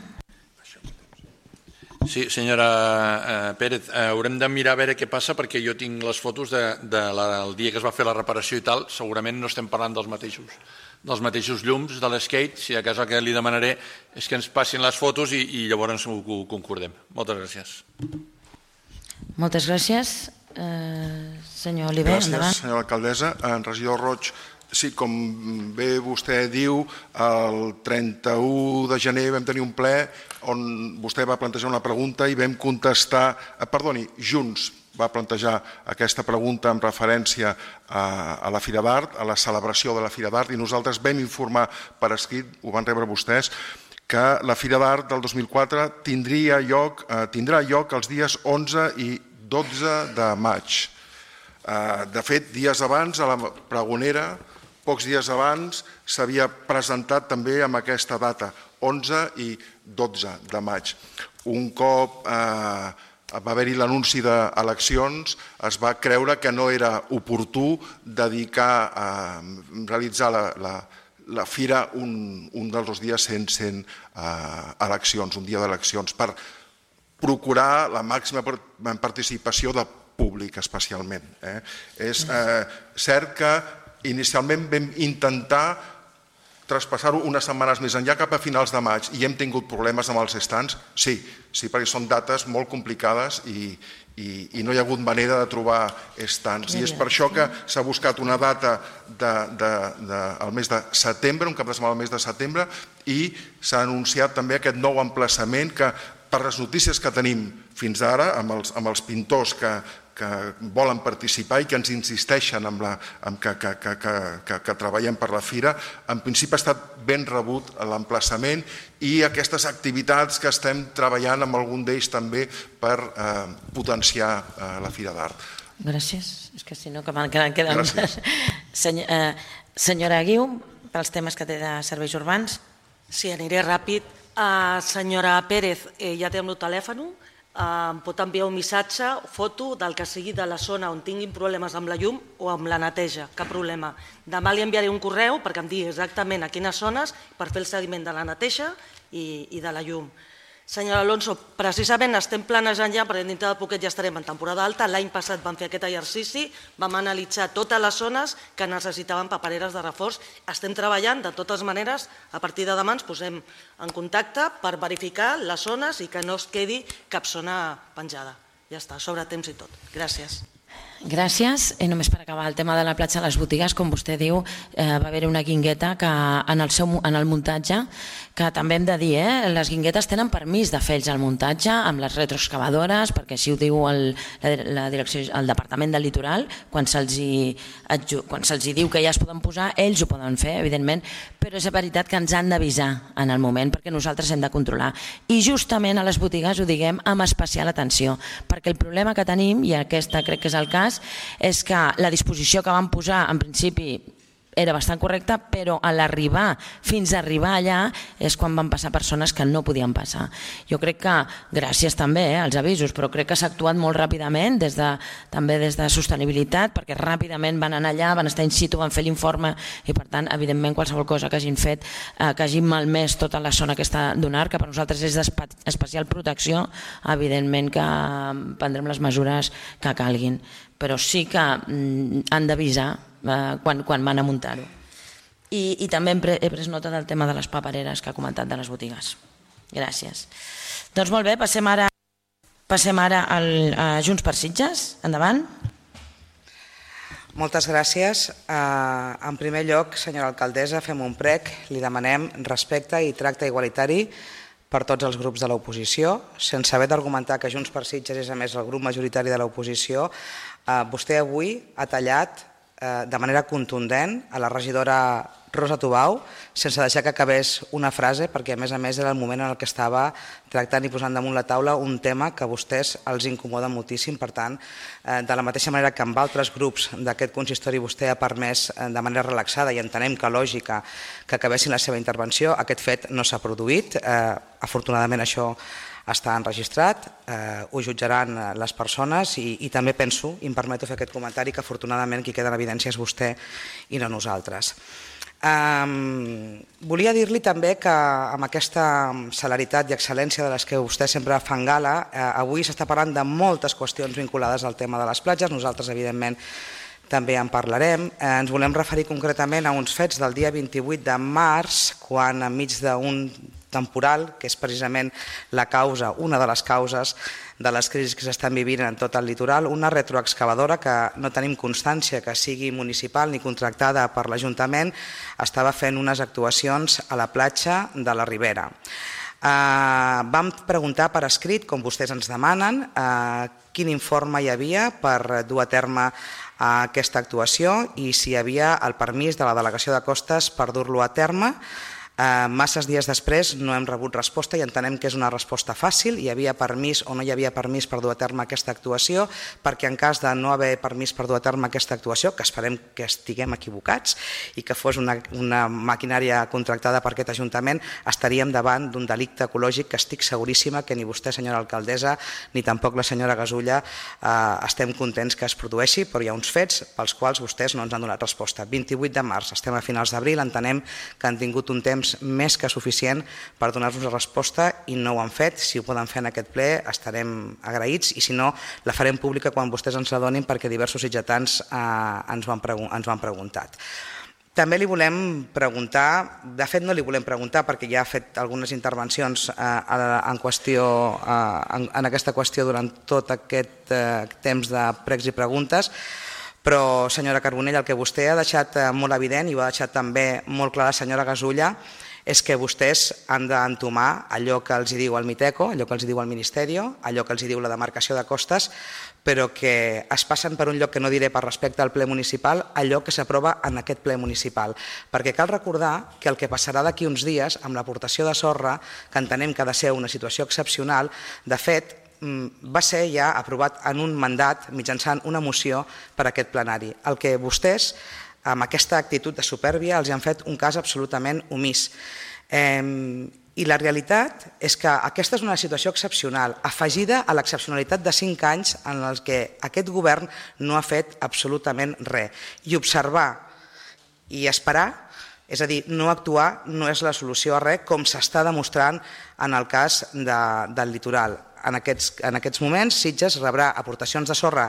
Sí, senyora Pérez, haurem de mirar a veure què passa, perquè jo tinc les fotos del dia que es va fer la reparació i tal, segurament no estem parlant dels mateixos llums de l'skate. Si a casa el que li demanaré és que ens passin les fotos i llavors ho concordem. Moltes gràcies. Moltes gràcies. Senyor Oliver, endavant. Gràcies, senyora alcaldessa. En regidor Roig, sí, com bé vostè diu, el 31 de gener vam tenir un ple on vostè va plantejar una pregunta i vam contestar, Junts va plantejar aquesta pregunta en referència a la Fira d'Art, a la celebració de la Fira d'Art, i nosaltres vam informar per escrit, ho van rebre vostès, que la Fira d'Art del 2004 tindrà lloc els dies 11 i 12 de maig. De fet, dies abans, a la Pregonera, pocs dies abans, s'havia presentat també amb aquesta data, 11 i 12 de maig. Un cop va haver-hi l'anunci d'eleccions, es va creure que no era oportú dedicar a realitzar la Fira un dels dies sense eleccions, un dia d'eleccions, per procurar la màxima participació de públic especialment. És cert que inicialment vam intentar traspassar-ho unes setmanes més enllà, cap a finals de maig, i hem tingut problemes amb els stands? Sí, perquè són dates molt complicades i no hi ha hagut manera de trobar stands. I és per això que s'ha buscat una data al mes de setembre, un cap de setmana al mes de setembre, i s'ha anunciat també aquest nou emplaçament que, per les notícies que tenim fins ara, amb els pintors que volen participar i que ens insisteixen que treballem per la Fira, en principi ha estat ben rebut l'emplaçament i aquestes activitats que estem treballant amb algun d'ells també per potenciar la Fira d'Art. Gràcies. És que si no, que queden... Senyora Guiu, pels temes que té de serveis urbans. Sí, aniré ràpid. Senyora Pérez, ja té el meu telèfon, em pot enviar un missatge, foto del que sigui de la zona on tinguin problemes amb la llum o amb la neteja, cap problema. Demà li enviaré un correu perquè em digui exactament a quines zones per fer el seguiment de la neteja i de la llum. Senyora Alonso, precisament estem planejant ja, perquè dintre de poquet ja estarem en temporada alta, l'any passat vam fer aquest exercici, vam analitzar totes les zones que necessitaven papereres de reforç. Estem treballant, de totes maneres, a partir de demà ens posem en contacte per verificar les zones i que no es quedi cap zona penjada. Ja està, sobre temps i tot. Gràcies. Gràcies. I només per acabar el tema de la platja de les botigues, com vostè diu, va haver-hi una guingueta que en el muntatge, que també hem de dir, les guinguetes tenen permís de fer ells el muntatge amb les retroexcavadores, perquè així ho diu la direcció, el Departament del Litoral, quan se'ls diu que ja es poden posar, ells ho poden fer, evidentment, però és veritat que ens han d'avisar en el moment, perquè nosaltres hem de controlar. I justament a les botigues ho diguem amb especial atenció, perquè el problema que tenim, i aquest crec que és el cas, és que la disposició que van posar en principi era bastant correcta, però a l'arribar, fins a arribar allà, és quan van passar persones que no podien passar. Jo crec que, gràcies també als avisos, però crec que s'ha actuat molt ràpidament, també des de sostenibilitat, perquè ràpidament van anar allà, van estar in situ, van fer l'informe i per tant, evidentment, qualsevol cosa que hagin fet, que hagin malmès tota la zona aquesta d'UNAR, que per nosaltres és d'especial protecció, evidentment que prendrem les mesures que calguin, però sí que han d'avisar quan van a muntar-ho. I també he pres nota del tema de les papereres que ha comentat de les botigues. Gràcies. Doncs molt bé, passem ara a Junts per Sitges. Endavant. Moltes gràcies. En primer lloc, senyora alcaldessa, fem un prec, li demanem respecte i tracte igualitari per tots els grups de l'oposició, sense haver d'argumentar que Junts per Sitges és a més el grup majoritari de l'oposició. Vostè avui ha tallat de manera contundent a la regidora Rosa Tubau, sense deixar que acabés una frase, perquè a més era el moment en què estava tractant i posant damunt la taula un tema que a vostès els incomoda moltíssim. Per tant, de la mateixa manera que amb altres grups d'aquest consistori vostè ha permès de manera relaxada i entenem que lògica que acabessin la seva intervenció, aquest fet no s'ha produït. Afortunadament això està enregistrat, ho jutjaran les persones i també penso, i em permeto fer aquest comentari, que afortunadament qui queda en evidència és vostè i no nosaltres. Volia dir-li també que amb aquesta celeritat i excel·lència de les que vostè sempre fan gala, avui s'està parlant de moltes qüestions vinculades al tema de les platges, nosaltres evidentment també en parlarem. Ens volem referir concretament a uns fets del dia 28 de març, quan enmig d'un temporal, que és precisament la causa, una de les causes de les crisis que s'estan vivint en tot el litoral, una retroexcavadora que no tenim constància que sigui municipal ni contractada per l'Ajuntament, estava fent unes actuacions a la platja de la Ribera. Vam preguntar per escrit, com vostès ens demanen, quin informe hi havia per dur a terme aquesta actuació i si hi havia el permís de la Delegació de Costes per dur-lo a terme. Masses dies després no hem rebut resposta i entenem que és una resposta fàcil, hi havia permís o no hi havia permís per dur a terme aquesta actuació, perquè en cas de no haver permís per dur a terme aquesta actuació, que esperem que estiguem equivocats i que fos una maquinària contractada per aquest Ajuntament, estaríem davant d'un delicte ecològic que estic seguríssima que ni vostè, senyora alcaldessa, ni tampoc la senyora Gasulla estem contents que es produeixi, però hi ha uns fets pels quals vostès no ens han donat resposta. 28 de març, estem a finals d'abril, entenem que han tingut un temps més que suficient per donar-nos la resposta i no ho han fet. Si ho poden fer en aquest ple estarem agraïts i si no la farem pública quan vostès ens la donin perquè diversos sitgetans ens ho han preguntat. També li volem preguntar, de fet no li volem preguntar perquè ja ha fet algunes intervencions en aquesta qüestió durant tot aquest temps de pregs i preguntes, però, senyora Carbonell, el que vostè ha deixat molt evident i ho ha deixat també molt clar la senyora Gasulla és que vostès han d'entomar allò que els diu el Miteco, allò que els diu el Ministeri, allò que els diu la demarcació de costes, però que es passen per un lloc que no diré per respecte al ple municipal, allò que s'aprova en aquest ple municipal. Perquè cal recordar que el que passarà d'aquí uns dies amb l'aportació de sorra, que entenem que ha de ser una situació excepcional, de fet, va ser ja aprovat en un mandat mitjançant una moció per a aquest plenari. El que vostès, amb aquesta actitud de supèrbia, els han fet un cas absolutament omís. I la realitat és que aquesta és una situació excepcional, afegida a l'excepcionalitat de 5 anys en els que aquest govern no ha fet absolutament res. I observar i esperar, és a dir, no actuar no és la solució a res, com s'està demostrant en el cas del litoral. En aquests moments, Sitges rebrà aportacions de sorra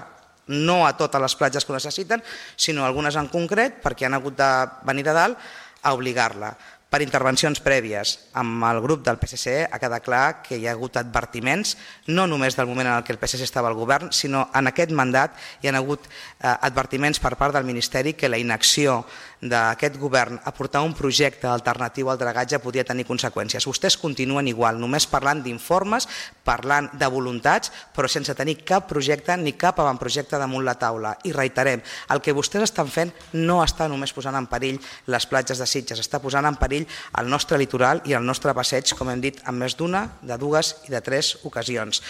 no a totes les platges que ho necessiten, sinó algunes en concret, perquè han hagut de venir de dalt a obligar-la. Per intervencions prèvies amb el grup del PSC ha quedat clar que hi ha hagut advertiments, no només del moment en què el PSC estava al govern, sinó en aquest mandat hi ha hagut advertiments per part del Ministeri que la inacció d'aquest govern a portar un projecte alternatiu al dragatge podia tenir conseqüències. Vostès continuen igual, només parlant d'informes, parlant de voluntats, però sense tenir cap projecte ni cap avantprojecte damunt la taula. I reiterem, el que vostès estan fent no està només posant en perill les platges de Sitges, està posant en perill perill el nostre litoral i el nostre passeig, com hem dit, en més d'una, de dues i de 3 ocasions.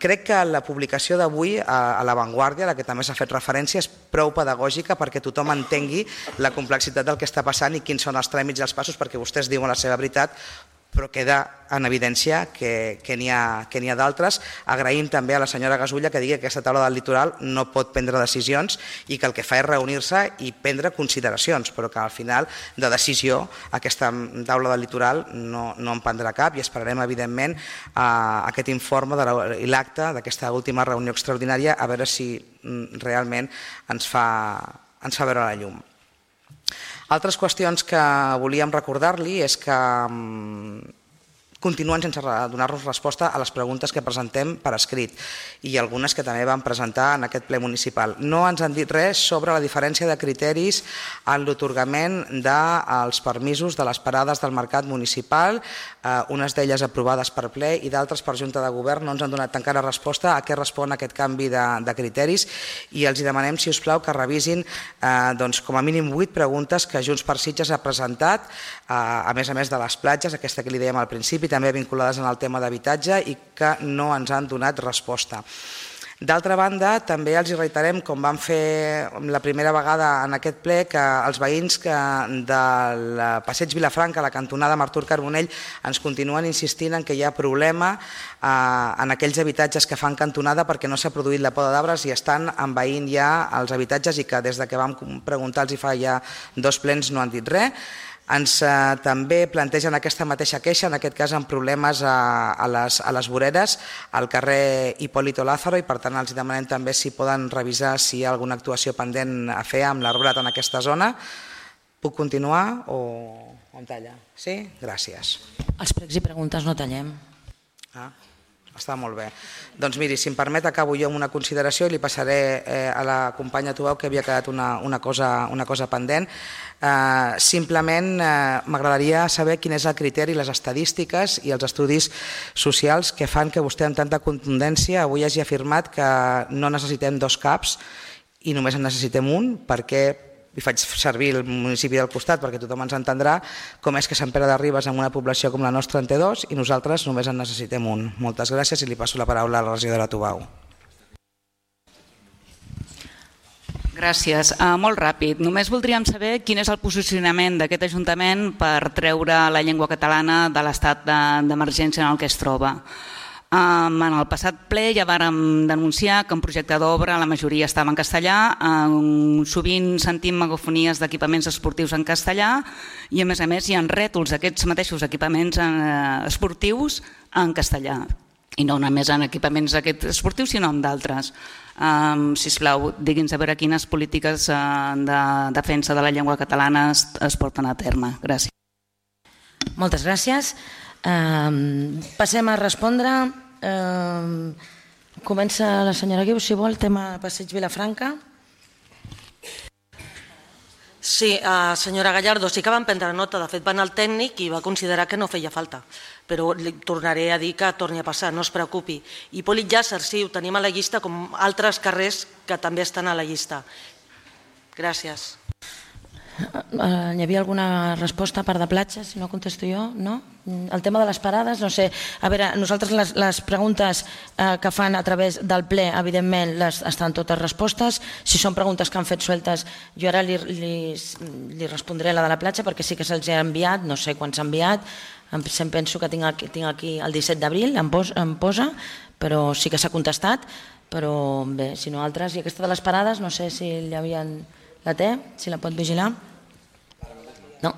Crec que la publicació d'avui a La Vanguardia, a la que també s'ha fet referència, és prou pedagògica perquè tothom entengui la complexitat del que està passant i quins són els tràmits i els passos, perquè vostès diuen la seva veritat, però queda en evidència que n'hi ha d'altres. Agraïm també a la senyora Gasulla que digui que aquesta taula del litoral no pot prendre decisions i que el que fa és reunir-se i prendre consideracions, però que al final de decisió aquesta taula del litoral no en prendrà cap i esperarem evidentment aquest informe i l'acte d'aquesta última reunió extraordinària a veure si realment ens fa veure la llum. Altres qüestions que volíem recordar-li és que continuen sense donar-nos resposta a les preguntes que presentem per escrit i algunes que també vam presentar en aquest ple municipal. No ens han dit res sobre la diferència de criteris en l'atorgament dels permisos de les parades del mercat municipal, unes d'elles aprovades per ple i d'altres per Junta de Govern. No ens han donat encara resposta a què respon aquest canvi de criteris i els demanem, si us plau, que revisin com a mínim 8 preguntes que Junts per Sitges ha presentat, a més de les platges, aquesta que li dèiem al principi, també vinculades en el tema d'habitatge i que no ens han donat resposta. D'altra banda, també els reiterem, com vam fer la primera vegada en aquest ple, que els veïns del passeig Vilafranca, la cantonada Artur Carbonell, ens continuen insistint en que hi ha problema en aquells habitatges que fan cantonada perquè no s'ha produït la poda d'arbres i estan envaint ja els habitatges i que des que vam preguntar-los fa ja 2 plens no han dit res. Ens també plantegen aquesta mateixa queixa, en aquest cas amb problemes a les voreres, al carrer Hipólito Lázaro, i per tant els demanem també si poden revisar si hi ha alguna actuació pendent a fer amb l'arbrat en aquesta zona. Puc continuar o em talla? Sí? Gràcies. Els pregs i preguntes no tallem. Està molt bé. Doncs miri, si em permet, acabo jo amb una consideració i li passaré a la companya Tubau, que havia quedat una cosa pendent. Simplement m'agradaria saber quin és el criteri, les estadístiques i els estudis socials que fan que vostè amb tanta contundència avui hagi afirmat que no necessitem 2 CAPs i només en necessitem un, perquè i faig servir el municipi del costat perquè tothom ens entendrà com és que Sant Pere de Ribes amb una població com la nostra en té 2 i nosaltres només en necessitem un. Moltes gràcies i li passo la paraula a la regidora Tubau. Gràcies. Molt ràpid. Només voldríem saber quin és el posicionament d'aquest Ajuntament per treure la llengua catalana de l'estat d'emergència en el que es troba. En el passat ple ja vàrem denunciar que un projecte d'obra la majoria estava en castellà, sovint sentim megafonies d'equipaments esportius en castellà i a més hi ha rètols d'aquests mateixos equipaments esportius en castellà. I no només en equipaments aquests esportius sinó en d'altres. Sisplau, digui'ns a veure quines polítiques de defensa de la llengua catalana es porten a terme. Gràcies. Moltes gràcies. Passem a respondre. Comença la senyora Guiu, si vol, tema passeig Vilafranca. Sí, senyora Gallardo, sí que van prendre nota. De fet, va anar al tècnic i va considerar que no feia falta. Però li tornaré a dir que torni a passar, no es preocupi. Hipòlit Llàcer, sí, ho tenim a la llista, com altres carrers que també estan a la llista. Gràcies. Hi havia alguna resposta a part de platges, si no contesto jo? No? El tema de les parades, no sé. A veure, nosaltres les preguntes que fan a través del ple, evidentment, estan totes respostes. Si són preguntes que han fet sueltes, jo ara li respondré la de la platja perquè sí que se'ls ha enviat, no sé quan s'ha enviat. Em penso que tinc aquí el 17 d'abril, em posa, però sí que s'ha contestat. Però bé, si no altres. I aquesta de les parades, no sé si hi havien... La té? Si la pot vigilar? No.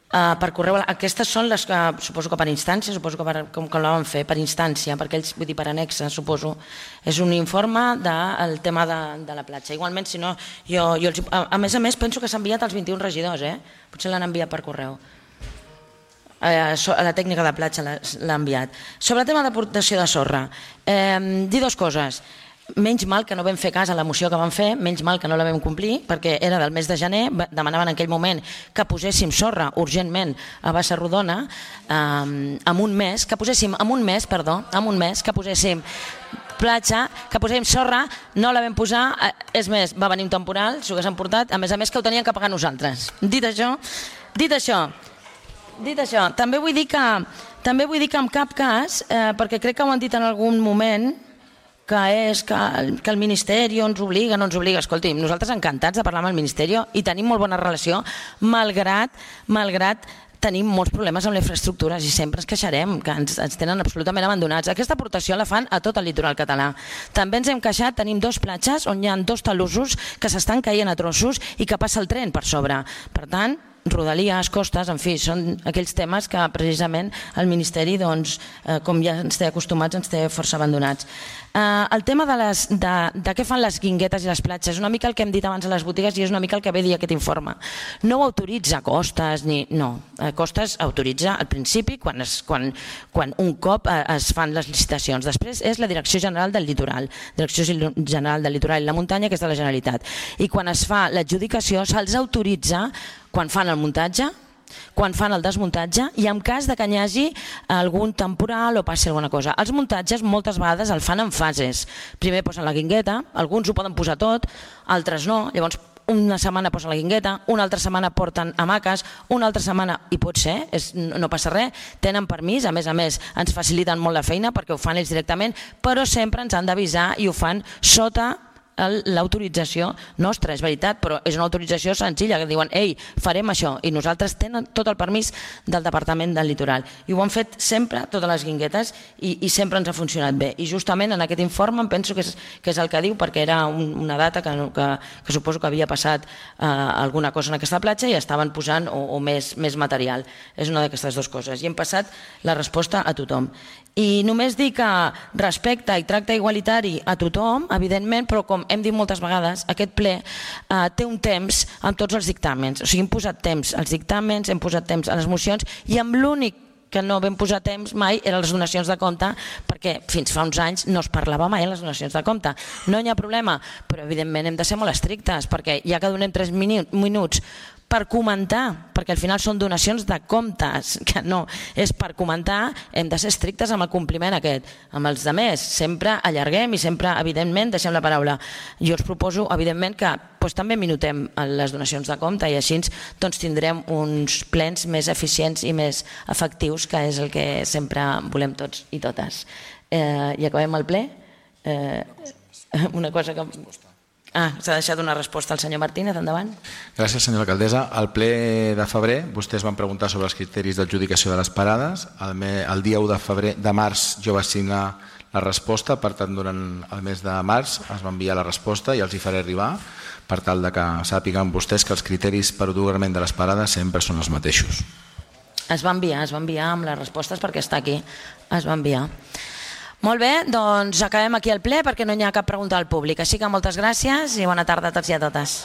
Per correu, aquestes són les que suposo que per instància, suposo que com la van fer, per instància, perquè ells, vull dir, per anexa, suposo. És un informe del tema de la platja. Igualment, si no, a més, penso que s'ha enviat als 21 regidors, potser l'han enviat per correu. A la tècnica de platja l'ha enviat. Sobre el tema d'aportació de sorra, dir dues coses. Menys mal que no vam fer cas a la moció que vam fer, menys mal que no la vam complir, perquè era del mes de gener, demanaven en aquell moment que poséssim sorra urgentment a Bassa Rodona, en un mes, que poséssim platja, que posem sorra, no la vam posar, és més, va venir un temporal, s'ho hagués emportat, a més que ho teníem que pagar nosaltres. Dit això, també vull dir que en cap cas, perquè crec que ho han dit en algun moment, que és que el Ministeri ens obliga, no ens obliga. Escolti'm, nosaltres encantats de parlar amb el Ministeri i tenim molt bona relació, malgrat tenim molts problemes amb les infraestructures i sempre ens queixarem, que ens tenen absolutament abandonats. Aquesta aportació la fan a tot el litoral català. També ens hem queixat, tenim 2 platges on hi ha 2 talussos que s'estan caient a trossos i que passa el tren per sobre. Per tant, rodalies, costes, en fi, són aquells temes que precisament el Ministeri, com ja ens té acostumats, ens té força abandonats. El tema de què fan les guinguetes i les platges és una mica el que hem dit abans a les botigues i és una mica el que ve a dir aquest informe. No ho autoritza Costes, Costes autoritza al principi quan un cop es fan les licitacions. Després és la Direcció General del Litoral, Direcció General del Litoral i la Muntanya, que és de la Generalitat. I quan es fa l'adjudicació se'ls autoritza quan fan el muntatge, quan fan el desmuntatge i en cas que hi hagi algun temporal o passi alguna cosa. Els muntatges moltes vegades el fan en fases. Primer posen la guingueta, alguns ho poden posar tot, altres no, llavors una setmana posen la guingueta, una altra setmana porten hamaques, una altra setmana, i pot ser, no passa res, tenen permís, a més ens faciliten molt la feina perquè ho fan ells directament, però sempre ens han d'avisar i ho fan sota l'autorització nostra, és veritat, però és una autorització senzilla, que diuen, ei, farem això, i nosaltres tenen tot el permís del Departament del Litoral. I ho han fet sempre, totes les guinguetes, i sempre ens ha funcionat bé. I justament en aquest informe em penso que és el que diu, perquè era una data que suposo que havia passat alguna cosa en aquesta platja i estaven posant o més material. És una d'aquestes dues coses. I hem passat la resposta a tothom. I només dir que respecte i tracte igualitari a tothom, evidentment, però com hem dit moltes vegades, aquest ple té un temps amb tots els dictàmens. O sigui, hem posat temps als dictàmens, hem posat temps a les mocions i amb l'únic que no vam posar temps mai eren les donacions de compte, perquè fins fa uns anys no es parlava mai en les donacions de compte. No hi ha problema, però evidentment hem de ser molt estrictes, perquè ja que donem 3 minuts per comentar, perquè al final són donacions de comptes, que no, és per comentar, hem de ser estrictes amb el compliment aquest. Amb els altres sempre allarguem i sempre, evidentment, deixem la paraula. Jo us proposo, evidentment, que també minutem les donacions de compte i així tindrem uns plens més eficients i més efectius, que és el que sempre volem tots i totes. I acabem el ple. Una cosa que... s'ha deixat una resposta al senyor Martínez, endavant. Gràcies, senyora alcaldessa. Al ple de febrer vostès van preguntar sobre els criteris d'adjudicació de les parades. El dia 1 de març jo vaig signar la resposta, per tant durant el mes de març es va enviar la resposta i els hi faré arribar per tal que sàpiguen vostès que els criteris per atorgament de les parades sempre són els mateixos. Es va enviar amb les respostes perquè està aquí, es va enviar. Molt bé, doncs acabem aquí el ple perquè no hi ha cap pregunta al públic. Així que moltes gràcies i bona tarda a tots i a totes.